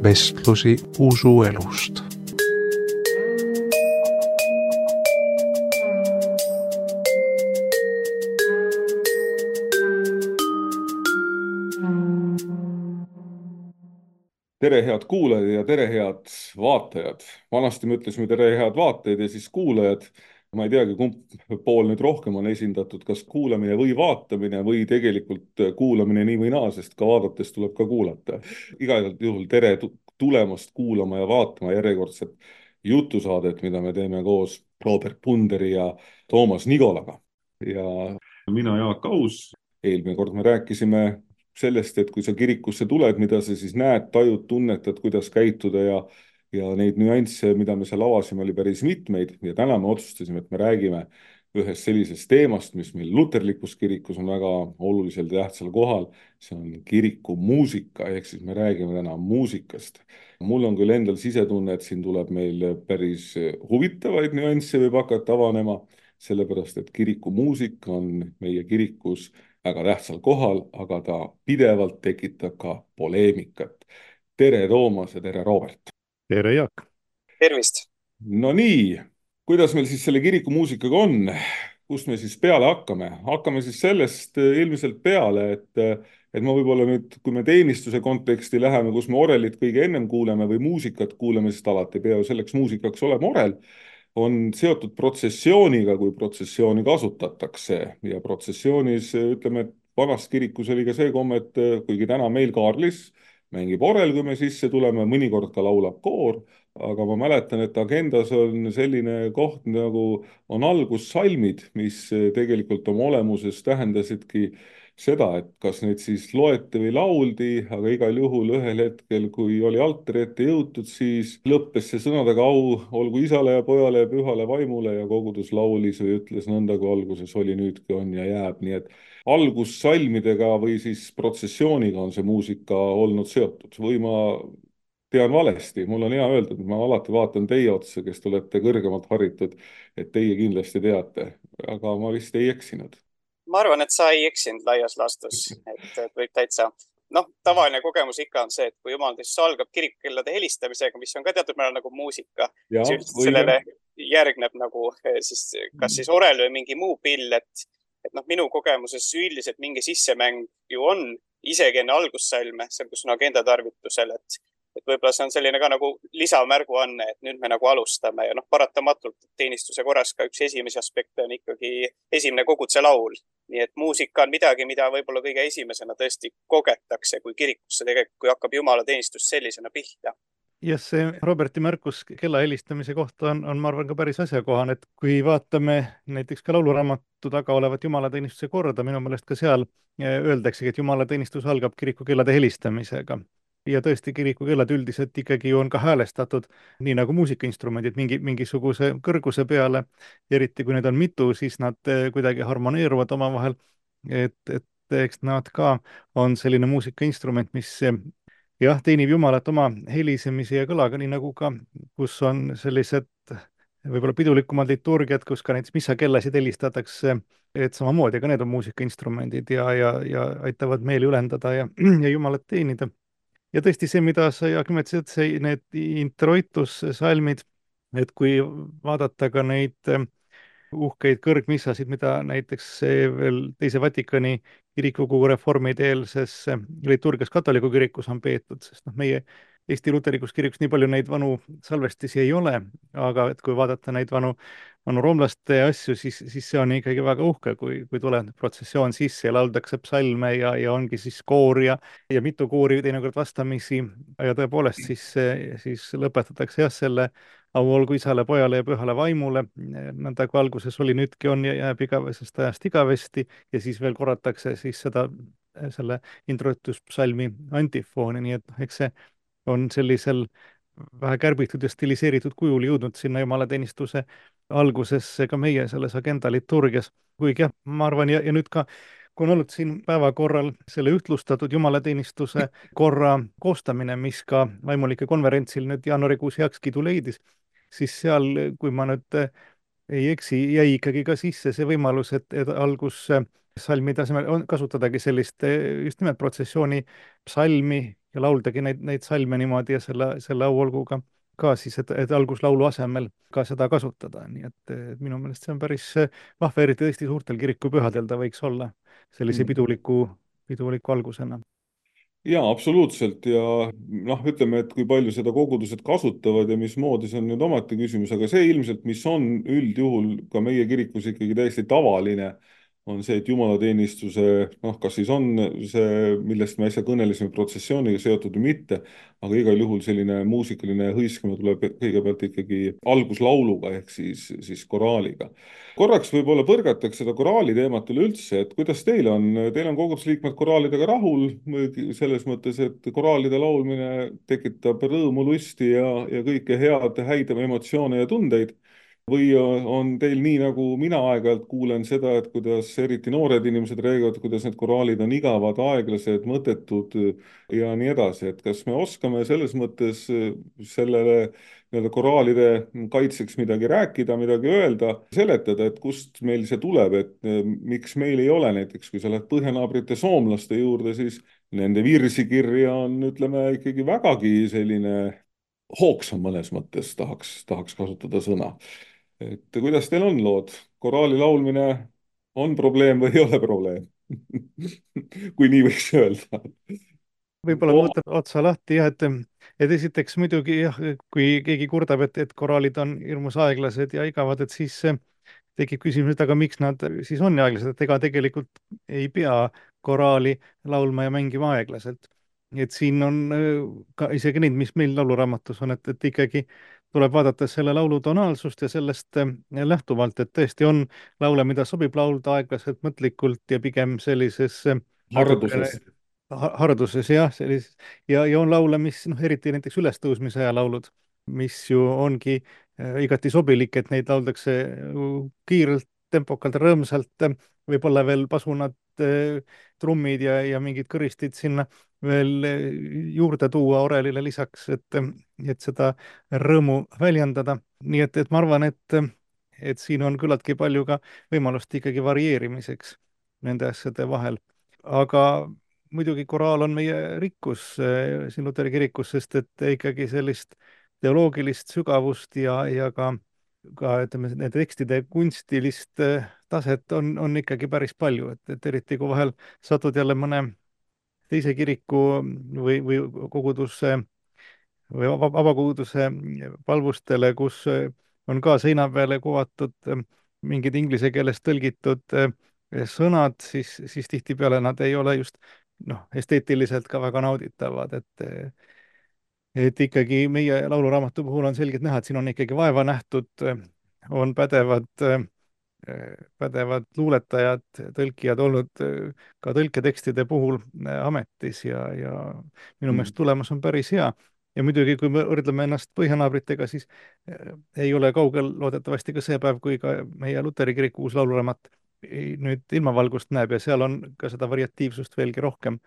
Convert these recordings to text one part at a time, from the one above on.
Vestlusi usuelust. Tere, head kuulajad ja tere, head vaatajad. Vanasti me ütlesime tere, head vaatajad ja siis kuulajad. Ma ei teagi, kumb pool nüüd rohkem on esindatud, kas kuulamine või vaatamine või tegelikult kuulamine nii või naa, sest ka vaadates tuleb ka kuulata. Igal juhul tere tulemast kuulama ja vaatama järjekordset jutusaadet, mida me teeme koos Robert Punderi ja Toomas Nigolaga. Ja mina, Jaak Aus. Eelmine kord me rääkisime sellest, et kui sa kirikusse tuled, mida sa siis näed, tajud, tunnetad, kuidas käituda ja neid nüansse, mida me seal avasime, oli päris mitmeid ja täna me otsustasime, et me räägime ühest sellisest teemast, mis meil luterlikus kirikus on väga olulisel ja tähtsal kohal. See on kiriku muusika, ehk siis me räägime täna muusikast. Mul on küll endal sisetunne, et siin tuleb meil päris huvitavaid nüansse võib hakata avanema, sellepärast et kiriku muusika on meie kirikus väga tähtsal kohal, aga ta pidevalt tekitab ka poleemikat. Tere, Toomas ja tere, Robert. Tere, Jaak. Tervist! No nii, kuidas meil siis selle kirikumuusikaga on? Kust me siis peale hakkame? Hakkame siis sellest ilmselt peale, et ma võib-olla nüüd, kui me teenistuse konteksti läheme, kus me orelit kõige ennem kuuleme või muusikat kuuleme, sest alati ei pea ju selleks muusikaks olema orel, on seotud protsessiooniga, kui protsessiooni kasutatakse ja protsessioonis ütleme, et vanas kirikus oli ka see komme, et kuigi täna meil Kaarlis mängib orel, kui me sisse tuleme, mõnikord ka laulab koor, aga ma mäletan, et agendas on selline koht nagu on algussalmid, mis tegelikult oma olemuses tähendasidki seda, et kas neid siis loeti või lauldi, aga igal juhul ühel hetkel, kui oli altari ette jõutud, siis lõppes see sõnadega au olgu isale ja pojale ja pühale vaimule ja kogudus laulis või ütles nõnda, kui alguses oli, nüüdki on ja jääb, nii et algussalmidega või siis protsessiooniga on see muusika olnud seotud või ma tean valesti, mul on hea öelda, et ma alati vaatan teie otsa, kes te olete kõrgemalt haritud, et teie kindlasti teate, aga ma vist ei eksinud. Ma arvan, et sa ei eksinud laias laastus, et võib täitsa. Tavaline kogemus ikka on see, et kui jumalateenistus algab kirikukellade helistamisega, mis on ka teatud määral nagu muusika, siis sellele järgneb nagu siis, kas siis orel või mingi muu pill, et minu kogemuses üldiselt mingi sissemäng ju on isegi enne algussalme, seal kus on agenda tarvitusel, et võib-olla see on selline ka nagu lisamärguanne, et nüüd me nagu alustame ja paratamatult teenistuse korras ka üks esimesi aspekte on ikkagi esimene koguduse laul. Nii et muusika on midagi, mida võib-olla kõige esimesena tõesti kogetakse, kui kirikusse tegelikult, kui hakkab jumalateenistus sellisena pihta. Ja see Roberti märkus kella helistamise kohta on ma arvan ka päris asjakohane, et kui vaatame näiteks ka lauluraamatu taga olevat jumalateenistuse korda, minu meelest ka seal öeldaksegi, et jumalateenistus algab kirikukellade helistamisega. Ja tõesti, kirikukellad üldiselt ikkagi on ka häälestatud, nii nagu muusikainstrumendid mingisuguse kõrguse peale, eriti kui neid on mitu, siis nad kuidagi harmoneeruvad omavahel, et eks nad ka on selline muusikainstrument, mis jah, teenib Jumalat oma helisemise ja kõlaga, nii nagu ka, kus on sellised võib-olla pidulikumad liturgiad, kus ka näiteks missakellasid helistatakse, et samamoodi, aga need on muusikainstrumendid ja aitavad meeli ülendada ja Jumalat teenida. Ja tõesti see, mida sa, Jaak, nimetasid, need introitussalmid, et kui vaadata ka neid uhkeid kõrgmissasid, mida näiteks veel Teise Vatikani kirikukogu reformide eelses liturgias katoliku kirikus on peetud, sest meie Eesti luterlikus kirikus nii palju neid vanu salvestisi ei ole, aga et kui vaadata neid vanu roomlaste asju, siis see on ikkagi väga uhke, kui tuleb protsessioon sisse ja lauldakse psalme ja ongi siis koor ja mitu koori teinekord vastamisi ja tõepoolest siis lõpetatakse jah selle au olgu isale, pojale ja pühale vaimule, nõnda kui alguses oli, nüüdki on ja jääb igavesest ajast igavesti ja siis veel korratakse siis selle introituspsalmi antifooni, nii et eks see on sellisel vähe kärbitud ja stiliseeritud kujul jõudnud sinna jumalateenistuse algusesse ka meie selles agenda liturgias. Kuigi jah, ma arvan ja nüüd ka, kui on olnud siin päevakorral selle ühtlustatud jumalateenistuse korra koostamine, mis ka vaimulike konverentsil nüüd jaanuarikuus heakskiidu leidis, siis seal, kui ma nüüd ei eksi, jäi ikkagi ka sisse see võimalus, et algussalmi tasemel kasutadagi sellist just nimelt protsessiooni psalmi lauldagi neid salme niimoodi ja selle auolguga ka siis, et alguslaulu asemel ka seda kasutada, nii et minu meelest see on päris vahva, eriti tõesti suurtel kirikupühadel ta võiks olla sellise piduliku algusena. Jaa, absoluutselt ja ütleme, et kui palju seda kogudused kasutavad ja mismoodi, see on nüüd omati küsimus, aga see ilmselt, mis on üldjuhul ka meie kirikus ikkagi täiesti tavaline, on see, et jumalateenistuse, kas siis on see, millest me äsja kõnelesime, protsessiooniga seotud või mitte, aga igal juhul selline muusikaline hõiskama tuleb kõigepealt ikkagi alguslauluga ehk siis koraaliga. Korraks võib-olla põrgataks seda koraali teemat üleüldse, et kuidas teil on kogudusliikmed koraalidega rahul, selles mõttes, et koraalide laulmine tekitab rõõmu, lusti ja kõike häid emotsioone ja tundeid. Või on teil nii, nagu mina aeg-ajalt kuulen seda, et kuidas eriti noored inimesed räägivad, kuidas need koraalid on igavad, aeglased, mõttetud ja nii edasi, et kas me oskame selles mõttes sellele koraalide kaitseks midagi rääkida, midagi öelda, seletada, et kust meil see tuleb, et miks meil ei ole näiteks, kui sa lähed põhjanaabrite soomlaste juurde, siis nende virsikirja on, ütleme, ikkagi vägagi selline hoogsam mõnes mõttes, tahaks kasutada sõna. Et kuidas teil on lood? Koraali laulmine on probleem või ei ole probleem? Kui nii võiks öelda. Võib-olla ma võtan otsa lahti, et esiteks muidugi jah, kui keegi kurdab, et koraalid on hirmus aeglased ja igavad, et siis tekib küsimus, et aga miks nad siis on aeglased, et ega tegelikult ei pea koraali laulma ja mängima aeglaselt. Et siin on ka isegi neid, mis meil lauluraamatus on, et ikkagi tuleb vaadata selle laulu tonaalsust ja sellest lähtuvalt, et tõesti on laule, mida sobib laulda aeglaselt, mõtlikult ja pigem sellises harduses jah, sellises ja on laule, mis eriti näiteks ülestõusmise aja laulud, mis ju ongi igati sobilik, et neid lauldakse kiirelt, tempokalt, rõõmsalt, võib-olla veel pasunad, trummid ja mingid kõristid sinna veel juurde tuua orelile lisaks, et seda rõõmu väljendada. Nii et ma arvan, et siin on küllaltki palju ka võimalust ikkagi varieerimiseks nende asjade vahel. Aga muidugi koraal on meie rikkus siin Luteri kirikus, sest et ikkagi sellist teoloogilist sügavust ja ka ütleme, nende tekstide kunstilist taset on ikkagi päris palju, et eriti kui vahel satud jälle mõne teise kiriku või koguduse või vabakoguduse palvustele, kus on ka seina peale kuvatud mingid inglise keeles tõlgitud sõnad, siis tihtipeale nad ei ole just esteetiliselt ka väga nauditavad, et ikkagi meie lauluraamatu puhul on selgelt näha, et siin on ikkagi vaeva nähtud, on pädevad luuletajad, tõlkijad olnud ka tõlketekstide puhul ametis ja minu meelest tulemus on päris hea. Ja muidugi, kui me võrdleme ennast põhjanaabritega, siis ei ole kaugel loodetavasti ka see päev, kui ka meie Luteri kiriku uus lauluraamat nüüd ilmavalgust näeb ja seal on ka seda variatiivsust veelgi rohkem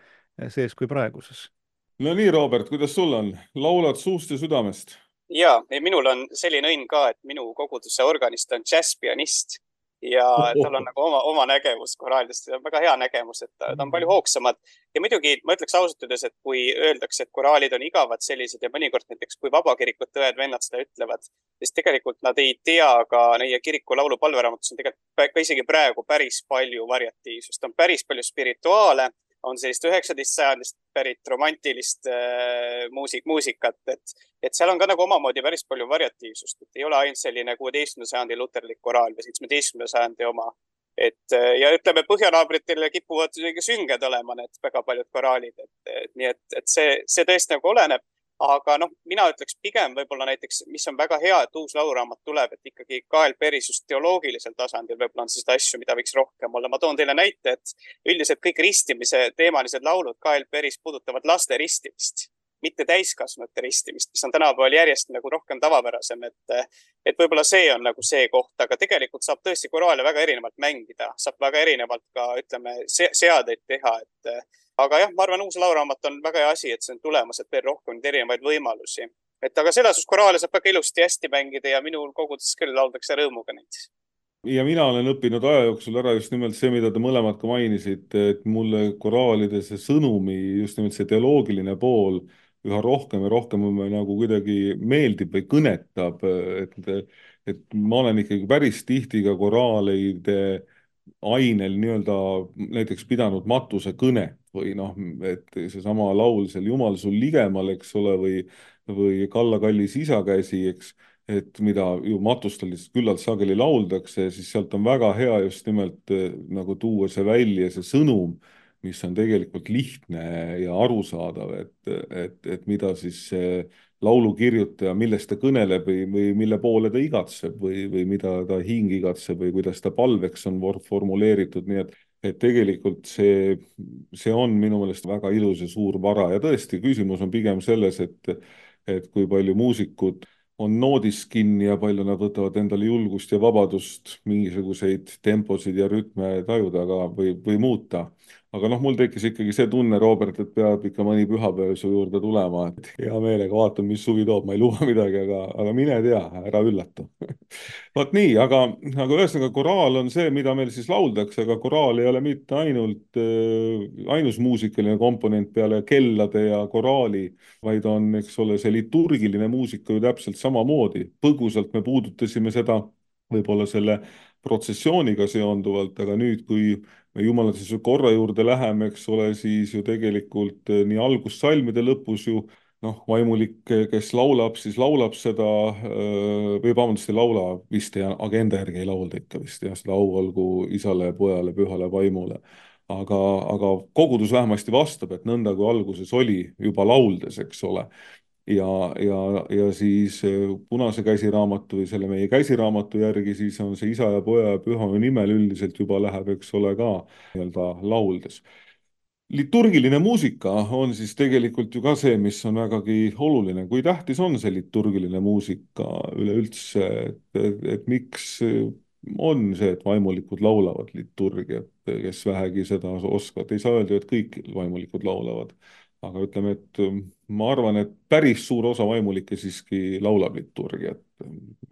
sees kui praeguses. No nii, Robert, kuidas sul on? Laulad suust ja südamest? Jaa, minul on selline õnn ka, et minu koguduse organist on džässpianist ja tal on nagu oma nägemus koraalidest. See on väga hea nägemus, et ta on palju hoogsamad. Ja muidugi ma ütleks ausalt öeldes, et kui öeldakse, et koraalid on igavad sellised ja mõnikord näiteks kui vabakirikute õed-vennad seda ütlevad, siis tegelikult nad ei tea ka neie kiriku laulu palveraamatus on tegelikult ka isegi praegu päris palju variatiivsust. On päris palju spirituaale, on sellist 19. sajandist pärit romantilist muusikat, et seal on ka nagu omamoodi päris palju variatiivsust, et ei ole ainult selline 16. sajandi luterlik koraal või 17. sajandi oma. Ja ütleme, põhjanaabritel kipuvad sünged olema need väga paljud koraalid, nii et see tõesti nagu oleneb. Aga mina ütleks pigem võib-olla näiteks, mis on väga hea, et uus lauluraamat tuleb, et ikkagi KLPeris just teoloogilisel tasandil võib-olla on seda asju, mida võiks rohkem olla. Ma toon teile näite, et üldiselt kõik ristimise teemalised laulud KLPeris puudutavad laste ristimist, mitte täiskasvanute ristimist, mis on tänapäeval järjest nagu rohkem tavapärasem, et võib-olla see on nagu see koht, aga tegelikult saab tõesti koraale väga erinevalt mängida, saab väga erinevalt ka, ütleme, seadeid teha, aga jah, ma arvan, uus lauluraamat on väga hea asi, et see on tulemas, et veel rohkem erinevaid võimalusi. Aga selles koraale saab väga ilusti hästi mängida ja minul koguduses küll lauldakse rõõmuga neid. ja mina olen õppinud aja jooksul ära just nimelt see, mida te mõlemad ka mainisite, et mulle koraalide see sõnumi, just nimelt see teoloogiline pool üha rohkem ja rohkem nagu kuidagi meeldib või kõnetab, et ma olen ikkagi päris tihti ka koraalide ainel nii-öelda näiteks pidanud matusekõnet või noh, et seesama laul seal Jumal sul ligemal, eks ole, või Kalla kallis isakäsi, eks, et mida ju matustel lihtsalt küllalt sageli lauldakse, siis sealt on väga hea just nimelt nagu tuua see välja, see sõnum, mis on tegelikult lihtne ja arusaadav, et mida siis see laulukirjutaja, millest ta kõneleb või mille poole ta igatseb või mida ta hing igatseb või kuidas ta palveks on formuleeritud, nii et tegelikult see on minu meelest väga ilus ja suur vara ja tõesti, küsimus on pigem selles, et kui palju muusikud on noodis kinni ja palju nad võtavad endale julgust ja vabadust mingisuguseid temposid ja rütme tajuda või muuta. Aga noh, mul tekkis ikkagi see tunne, Robert, et peab ikka mõni pühapäev su juurde tulema, et hea meelega vaatan, mis suvi toob, ma ei luba midagi, aga mine tea, ära üllatu. Vot nii, aga ühesõnaga koraal on see, mida meil siis lauldakse, aga koraal ei ole mitte ainult ainus muusikaline komponent peale kellade ja koraali, vaid on, eks ole, see liturgiline muusika ju täpselt samamoodi. Põgusalt me puudutasime seda võib-olla selle protsessiooniga seonduvalt, aga nüüd, kui me jumalatuse korra juurde läheme, eks ole, siis ju tegelikult nii algussalmide lõpus ju noh, vaimulik, kes laulab, siis laulab seda või vabandust, ei laula vist ja agenda järgi ei laulda ikka vist jah, seda au olgu isale, pojale, pühale vaimule. Aga kogudus vähemasti vastab, et nõnda kui alguses oli juba lauldes, eks ole. Ja siis punase käsiraamatu või selle meie käsiraamatu järgi siis on see isa ja poja ja püha nimel üldiselt juba läheb, eks ole, ka nii-öelda lauldes. Liturgiline muusika on siis tegelikult ju ka see, mis on vägagi oluline. Kui tähtis on see liturgiline muusika üleüldse, et miks on see, et vaimulikud laulavad liturgiat, kes vähegi seda oskavad. Ei saa öelda, et kõik vaimulikud laulavad. Aga ütleme, et ma arvan, et päris suur osa vaimulikke siiski laulab liturgiat.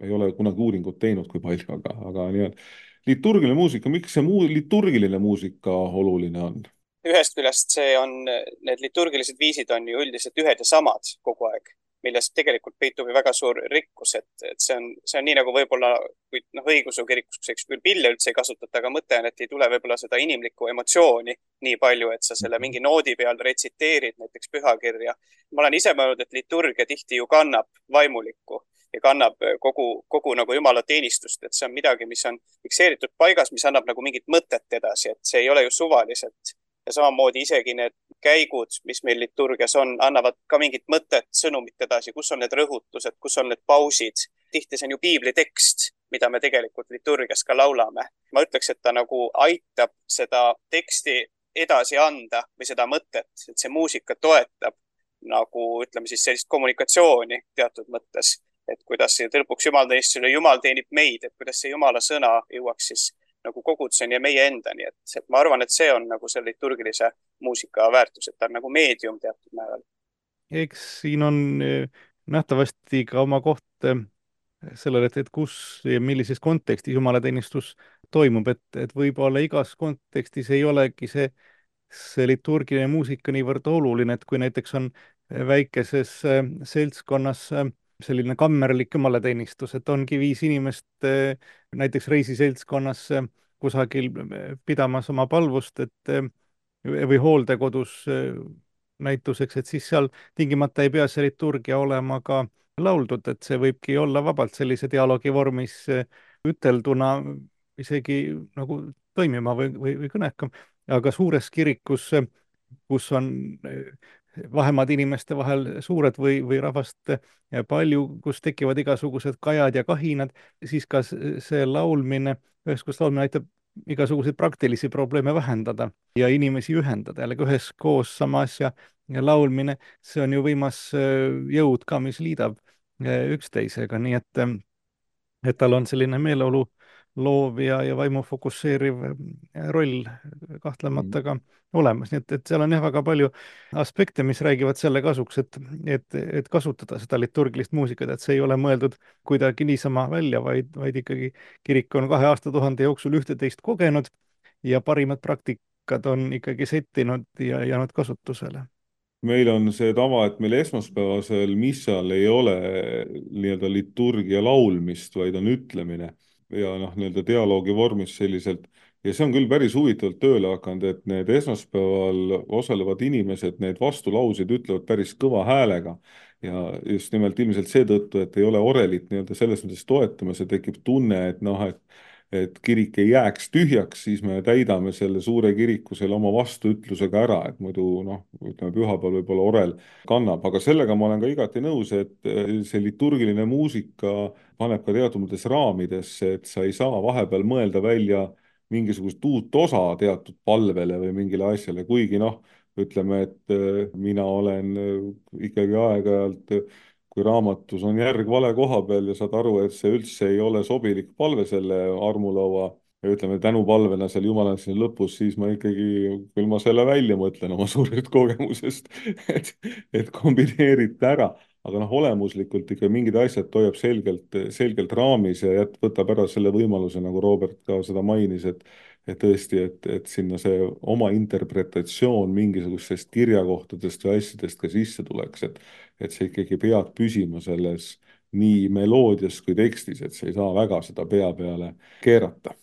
Ei ole kunagi uuringut teinud, kui palju, aga nii-öelda. Liturgiline muusika, miks see liturgiline muusika oluline on? Ühest küljest need liturgilised viisid on ju üldiselt ühed ja samad kogu aeg, millest tegelikult peitub ju väga suur rikkus, et see on nii nagu võib-olla, kui õigeusu kirikus, eks küll pille üldse ei kasutata, aga mõte on, et ei tule võib-olla seda inimlikku emotsiooni nii palju, et sa selle mingi noodi peal retsiteerid näiteks pühakirja. Ma olen ise mõelnud, et liturgia tihti ju kannab vaimulikku ja kannab kogu nagu jumala teenistust, et see on midagi, mis on fikseeritud paigas, mis annab nagu mingit mõtet edasi, et see ei ole ju suvaliselt. Ja samamoodi isegi need käigud, mis meil liturgias on, annavad ka mingit mõtet, sõnumit edasi, kus on need rõhutused, kus on need pausid. Tihti see on ju piibli tekst, mida me tegelikult liturgias ka laulame. Ma ütleks, et ta nagu aitab seda teksti edasi anda või seda mõtet, et see muusika toetab nagu ütleme siis sellist kommunikatsiooni teatud mõttes, et kuidas lõpuks jumalteenistusele Jumal teenib meid, et kuidas see Jumala sõna jõuaks siis nagu koguduseni ja meie endani, et ma arvan, et see on nagu selle liturgilise muusika väärtus, et ta on nagu meedium teatud määral. Eks siin on nähtavasti ka oma koht sellele, et kus ja millises kontekstis jumalateenistus toimub, et võib-olla igas kontekstis ei olegi see liturgiline muusika niivõrd oluline, et kui näiteks on väikeses seltskonnas selline kammerlik jumalateenistus, et ongi 5 inimest näiteks reisiseltskonnas kusagil pidamas oma palvust, või hooldekodus näituseks, et siis seal tingimata ei pea see liturgia olema ka lauldud, et see võibki olla vabalt sellise dialoogi vormis ütelduna isegi nagu toimima või kõnekam, aga suures kirikus, kus on vahemaad inimeste vahel suured või rahvast palju, kus tekivad igasugused kajad ja kahinad, siis ka see laulmine, üheskoos laulmine aitab igasuguseid praktilisi probleeme vähendada ja inimesi ühendada, jällegi üheskoos sama asja ja laulmine, see on ju võimas jõud ka, mis liidab üksteisega, nii et tal on selline meeleolu loov ja vaimu fokusseeriv roll kahtlemata ka olemas. Nii et seal on jah väga palju aspekte, mis räägivad selle kasuks, et kasutada seda liturgilist muusikat, et see ei ole mõeldud kuidagi niisama välja, vaid ikkagi kirik on 2 aastatuhande jooksul ühte-teist kogenud ja parimad praktikad on ikkagi settinud ja jäänud kasutusele. Meil on see tava, et meil esmaspäevasel missal ei ole nii-öelda liturgia laulmist, vaid on ütlemine ja nii-öelda dialoogi vormis selliselt. Ja see on küll päris huvitavalt tööle hakanud, et need esmaspäeval osalevad inimesed, need vastulausid ütlevad päris kõva häälega ja just nimelt ilmselt seetõttu, et ei ole orelit nii-öelda selles mõttes toetamas ja tekib tunne, et kirik ei jääks tühjaks, siis me täidame selle suure kiriku selle oma vastuütlusega ära, et muidu ütleme pühapäeval võib-olla orel kannab, aga sellega ma olen ka igati nõus, et see liturgiline muusika paneb ka teatud mõttes raamidesse, et sa ei saa vahepeal mõelda välja mingisugust uut osa teatud palvele või mingile asjale, kuigi ütleme, et mina olen ikkagi aeg-ajalt kui raamatus on järg vale koha peal ja saad aru, et see üldse ei ole sobilik palve selle armulaua ja ütleme tänupalvena seal Jumala siin lõpus, siis ma ikkagi, küll ma selle välja mõtlen oma suurest kogemusest, et kombineerite ära, aga olemuslikult ikka mingid asjad toiab selgelt raamis ja võtab ära selle võimaluse, nagu Robert ka seda mainis, et tõesti, et sinna see oma interpretatsioon mingisugustest kirjakohtadest või asjadest ka sisse tuleks, et see ikkagi peab püsima selles nii meloodias kui tekstis, et see ei saa väga seda pea peale keerata.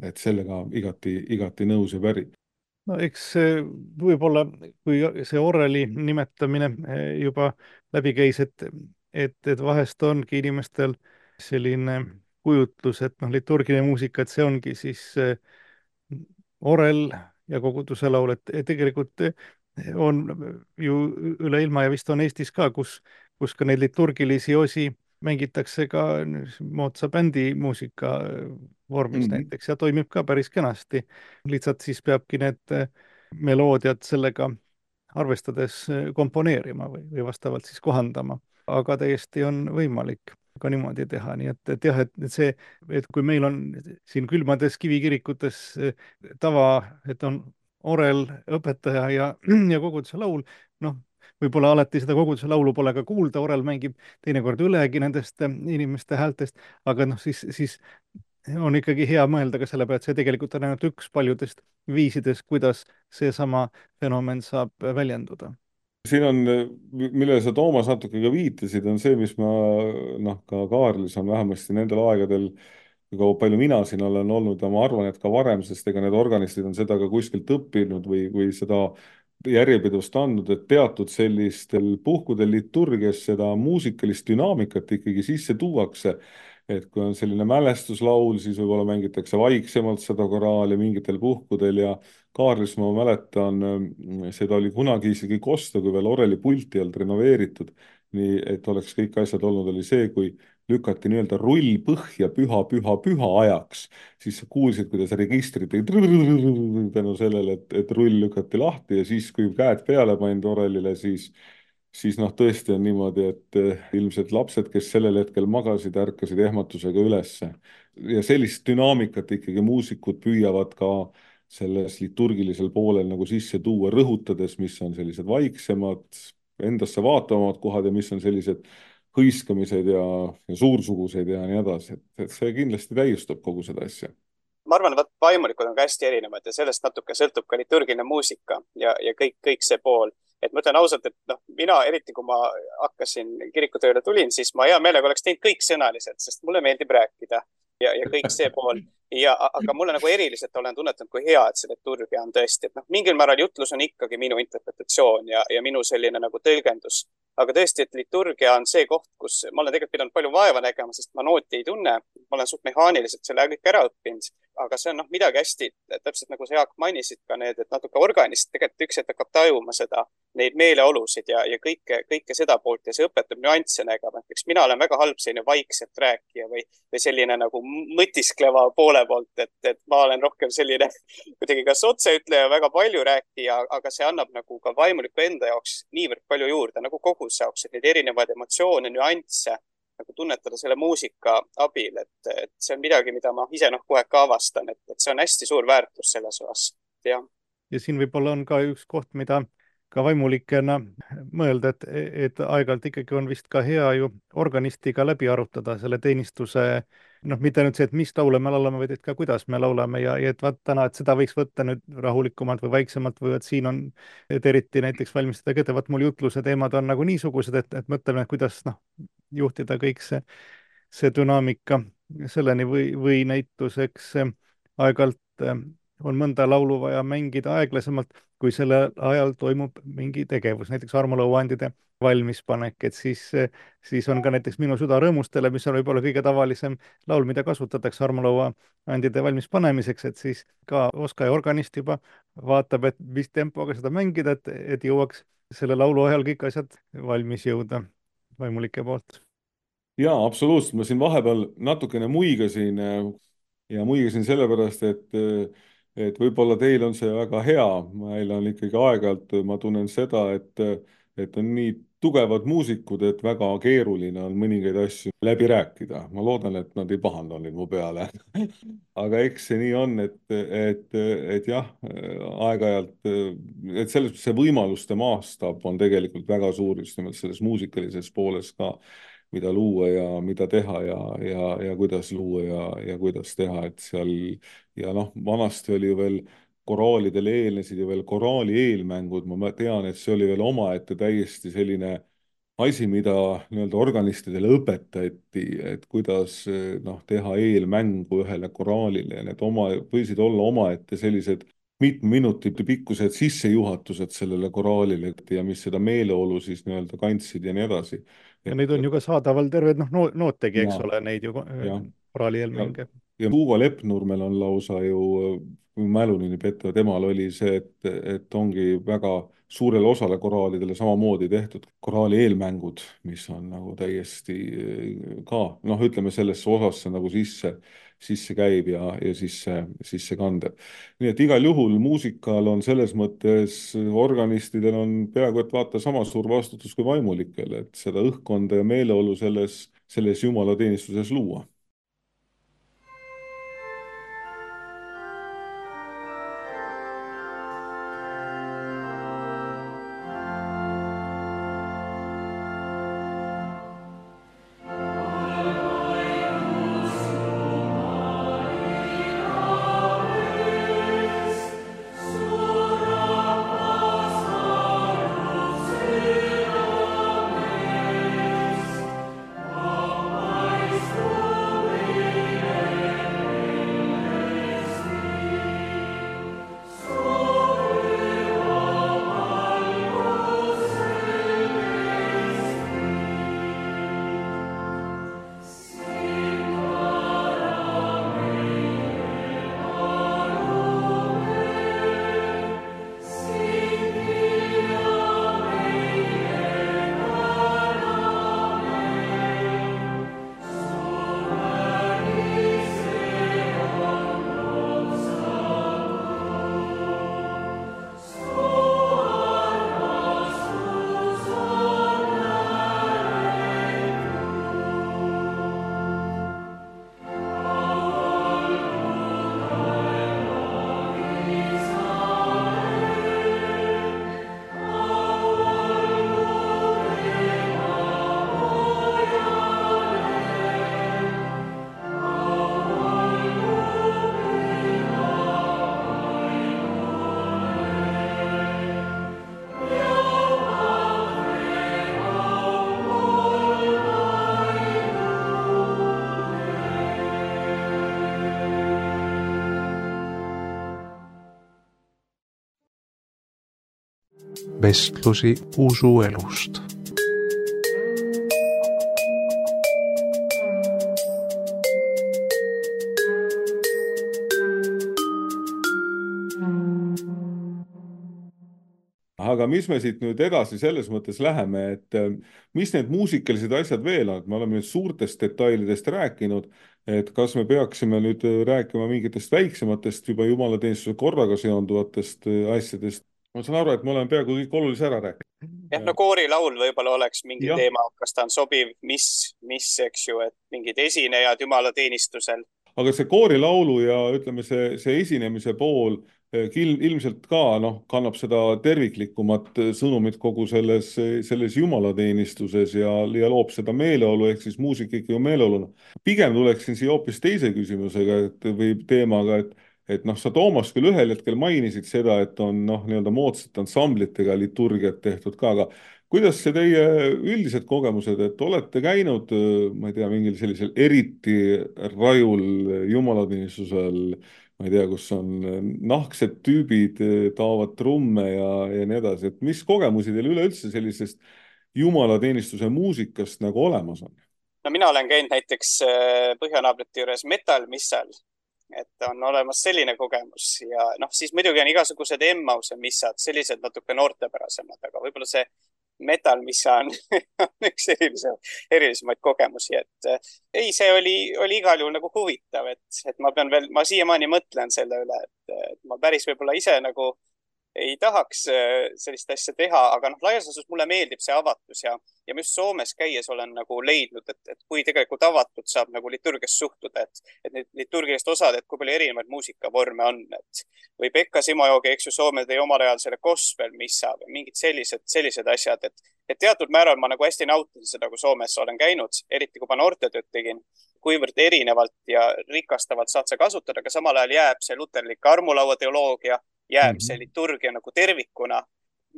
Et sellega igati nõus ja päri. No eks võib-olla, kui see oreli nimetamine juba läbi käis, et vahest ongi inimestel selline kujutlus, et liturgiline muusika, et see ongi siis orel ja koguduse laul, et tegelikult on ju üle ilma ja vist on Eestis ka, kus ka neid liturgilisi osi mängitakse ka moodsa bändimuusika vormis näiteks ja toimib ka päris kenasti. Lihtsalt siis peabki need meloodiad sellega arvestades komponeerima või vastavalt siis kohandama. Aga täiesti on võimalik ka niimoodi teha, nii et jah, et see, et kui meil on siin külmades kivikirikutes tava, et on orel, õpetaja ja koguduse laul, võib-olla alati seda koguduse laulu pole ka kuulda, orel mängib teinekord ülegi nendest inimeste häältest, aga siis on ikkagi hea mõelda ka selle peale, et see tegelikult on ainult üks paljudest viisidest, kuidas seesama fenomen saab väljenduda. Siin on, millele sa Toomas natuke ka viitasid, on see, mis ma ka Kaarlis on vähemasti nendel aegadel, kui palju mina siin olen olnud ja ma arvan, et ka varem, sest ega need organistid on seda ka kuskilt õppinud või seda järjepidevust andnud, et teatud sellistel puhkudel liturgias seda muusikalist dünaamikat ikkagi sisse tuuakse. Et kui on selline mälestuslaul, siis võib-olla mängitakse vaiksemalt seda koraali mingitel puhkudel ja Kaarlis ma mäletan, seda oli kunagi isegi kosta, kui veel oreli pulti olnud renoveeritud, nii et oleks kõik asjad olnud, oli see, kui lükati nii-öelda rull põhja püha ajaks, siis kuulsid, kuidas registrid tänu sellele, et rull lükati lahti ja siis, kui käed peale pandi orelile, siis tõesti on niimoodi, et ilmselt lapsed, kes sellel hetkel magasid, ärkasid ehmatusega ülesse. Ja sellist dünaamikat ikkagi muusikud püüavad ka selles liturgilisel poolel nagu sisse tuua, rõhutades, mis on sellised vaiksemad, endasse vaatavamad kohad ja mis on sellised hõiskamised ja suursugused ja nii edasi. Et see kindlasti täiustab kogu seda asja. Ma arvan, et vaimulikud on ka hästi erinevad ja sellest natuke sõltub ka liturgiline muusika ja kõik see pool. Et ma ütlen ausalt, et mina eriti kui ma hakkasin kirikutööle tulin, siis ma hea meelega oleks teinud kõik sõnaliselt, sest mulle meeldib rääkida ja kõik see pool. Aga mulle nagu eriliselt olen tunnetanud, kui hea, et see liturgia on tõesti. Et mingil määral jutlus on ikkagi minu interpretatsioon ja minu selline nagu tõlgendus. Aga tõesti, et liturgia on see koht, kus ma olen tegelikult pidanud palju vaeva nägema, sest ma nooti ei tunne. Ma olen suht mehaaniliselt selle kõik ära õppinud, aga see on midagi hästi, täpselt nagu sa Jaak mainisid ka need, et natuke organist tegelikult üks hetk hakkab tajuma seda, neid meeleolusid ja kõike seda poolt ja see õpetab nüansse nägema. Eks mina olen väga halb selline vaikselt rääkija või selline nagu mõtiskleva poole poolt, et ma olen rohkem selline kuidagi kas otseütleja väga palju rääkija, aga see annab nagu ka vaimuliku enda jaoks niivõrd palju juurde, nagu kogu jaoks, et neid erinevaid emotsioone, nüansse nagu tunnetada selle muusika abil, et see on midagi, mida ma ise kohe ka avastan, et see on hästi suur väärtus selles osas, jah. Ja siin võib-olla on ka üks koht, mida ka vaimulikena mõelda, et aeg-ajalt ikkagi on vist ka hea ju organistiga läbi arutada selle teenistuse, mitte ainult see, et mis laule me laulame, vaid et ka kuidas me laulame ja et vaat täna, et seda võiks võtta nüüd rahulikumalt või vaiksemalt või et siin on, et eriti näiteks valmistada kätte, vaat mul jutluse teemad on nagu niisugused, et mõtleme, kuidas juhtida kõik see dünaamika selleni või näituseks aeg-ajalt on mõnda laulu vaja mängida aeglasemalt, kui sellel ajal toimub mingi tegevus, näiteks armulauaandide valmispanek, et siis on ka näiteks Minu süda rõõmustele, mis on võib-olla kõige tavalisem laul, mida kasutatakse armulauaandide valmispanemiseks, et siis ka oskaja organist juba vaatab, et mis tempoga seda mängida, et jõuaks selle laulu ajal kõik asjad valmis jõuda vaimulike poolt. Jaa, absoluutselt. Ma siin vahepeal natukene muigasin ja muigasin sellepärast, et võib-olla teil on see väga hea. Meil on ikkagi aeg-ajalt, ma tunnen seda, et on nii tugevad muusikud, et väga keeruline on mõningaid asju läbi rääkida. Ma loodan, et nad ei pahanda nüüd mu peale. Aga eks see nii on, et jah, aeg-ajalt, et selles see võimaluste maastab on tegelikult väga suur just nimelt selles muusikalises pooles ka, mida luua ja mida teha ja kuidas luua ja kuidas teha, et seal ja vanasti oli ju veel koraalidele eelnesid ju veel koraali eelmängud, ma tean, et see oli veel omaette täiesti selline asi, mida nii-öelda organistidele õpetati, et kuidas teha eelmängu ühele koraalile ja need võisid olla omaette sellised mitme minuti pikkused sissejuhatused sellele koraalile ja mis seda meeleolu siis nii-öelda kandsid ja nii edasi. Ja neid on ju ka saadaval terved nootegi, eks Ja. ole, neid ju koraali eelmänge. Ja Tuuva Leppnurmel on lausa ju, kui mälu nüüd ei peta, temal oli see, et ongi väga suurele osale koraalidele samamoodi tehtud koraali eelmängud, mis on nagu täiesti ka, ütleme sellesse osasse nagu sisse käib ja sisse kandev. Nii et igal juhul muusikal on selles mõttes, organistidel on peaaegu et vaata sama suur vastutus kui vaimulikel, et seda õhkkonda ja meeleolu selles jumalateenistuses luua. Vestlusi usuelust. Aga mis me siit nüüd edasi selles mõttes läheme, et mis need muusikalised asjad veel on, et me oleme nüüd suurtest detailidest rääkinud, et kas me peaksime nüüd rääkima mingitest väiksematest juba jumalateenistuse korraga seonduvatest asjadest ma saan aru, et me oleme peaaegu kõik olulise ära rääkinud. jah, no koorilaul võib-olla oleks mingi Jah. teema, kas ta on sobiv, mis, eks ju, et mingid esinejad jumalateenistusel. Aga see koorilaulu ja ütleme, see esinemise pool ilmselt ka kannab seda terviklikumat sõnumit kogu selles jumalateenistuses ja loob seda meeleolu, ehk siis muusika ikka ju meeleoluna. Pigem tuleksin siia hoopis teise küsimusega või teemaga, et sa, Toomas, küll ühel hetkel mainisid seda, et on nii-öelda moodsate ansamblitega liturgiat tehtud ka, aga kuidas see teie üldised kogemused, et olete käinud, ma ei tea, mingil sellisel eriti rajul jumalateenistusel, ma ei tea, kus on nahksed tüübid, taovad trumme ja nii edasi, et mis kogemusi teil üleüldse sellisest jumalateenistuse muusikast nagu olemas on? No mina olen käinud näiteks põhjanaabrite juures metal-missal, et on olemas selline kogemus ja siis muidugi on igasugused Emmause missad, sellised natuke noortepärasemad, aga võib-olla see metal, mis on üks erilisemaid kogemusi, et ei, see oli igal juhul nagu huvitav, et ma siiamaani mõtlen selle üle, et ma päris võib-olla ise nagu ei tahaks sellist asja teha, aga laias laastus mulle meeldib see avatus ja ma just Soomes käies olen nagu leidnud, et kui tegelikult avatud saab nagu liturgias suhtuda, et need liturgilised osad, et kui palju erinevaid muusikavorme on, või Pekka Simojoogi, eks ju, Soome tõi omal ajal selle gospel missa või mingid sellised asjad, et teatud määral ma nagu hästi nautisin seda, kui Soomes olen käinud, eriti kui ma noortetööd tegin, kuivõrd erinevalt ja rikastavalt saad sa kasutada, aga samal ajal jääb see luterlik armulaua teoloogia, jääb see liturgia nagu tervikuna.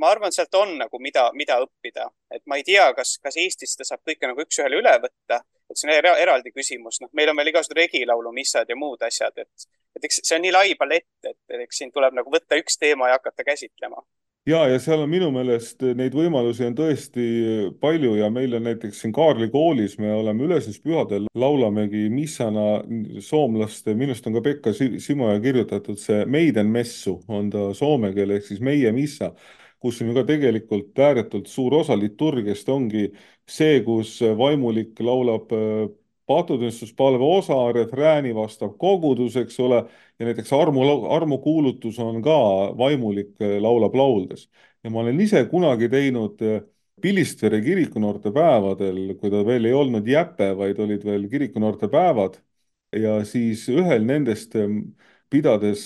Ma arvan, sealt on nagu mida õppida. Et ma ei tea, kas Eestis ta saab kõike nagu üks-ühele üle võtta. Et see on eraldi küsimus. Meil on veel igasugused regilaulu, missad ja muud asjad. Et eks see on nii lai palett, et eks siin tuleb nagu võtta üks teema ja hakata käsitlema. Ja seal on minu meelest neid võimalusi on tõesti palju ja meil on näiteks siin Kaarli koolis, me oleme ülesnispühadel, laulamegi missana soomlaste, minust on ka Pekka Simoja kirjutatud see Meiden messu, on ta soome keel, ehk siis meie missa, kus on ju ka tegelikult ääretult suur osa liturgiast ongi see, kus vaimulik laulab paatutunnistuspalve osa, refrääni vastab kogudus, eks ole, ja näiteks armukuulutus on ka vaimulik laulab lauldes. Ja ma olen ise kunagi teinud Pilistvere kirikunoorte päevadel, kui ta veel ei olnud jäpe, vaid olid veel kirikunoorte päevad, ja siis ühel nendest pidades,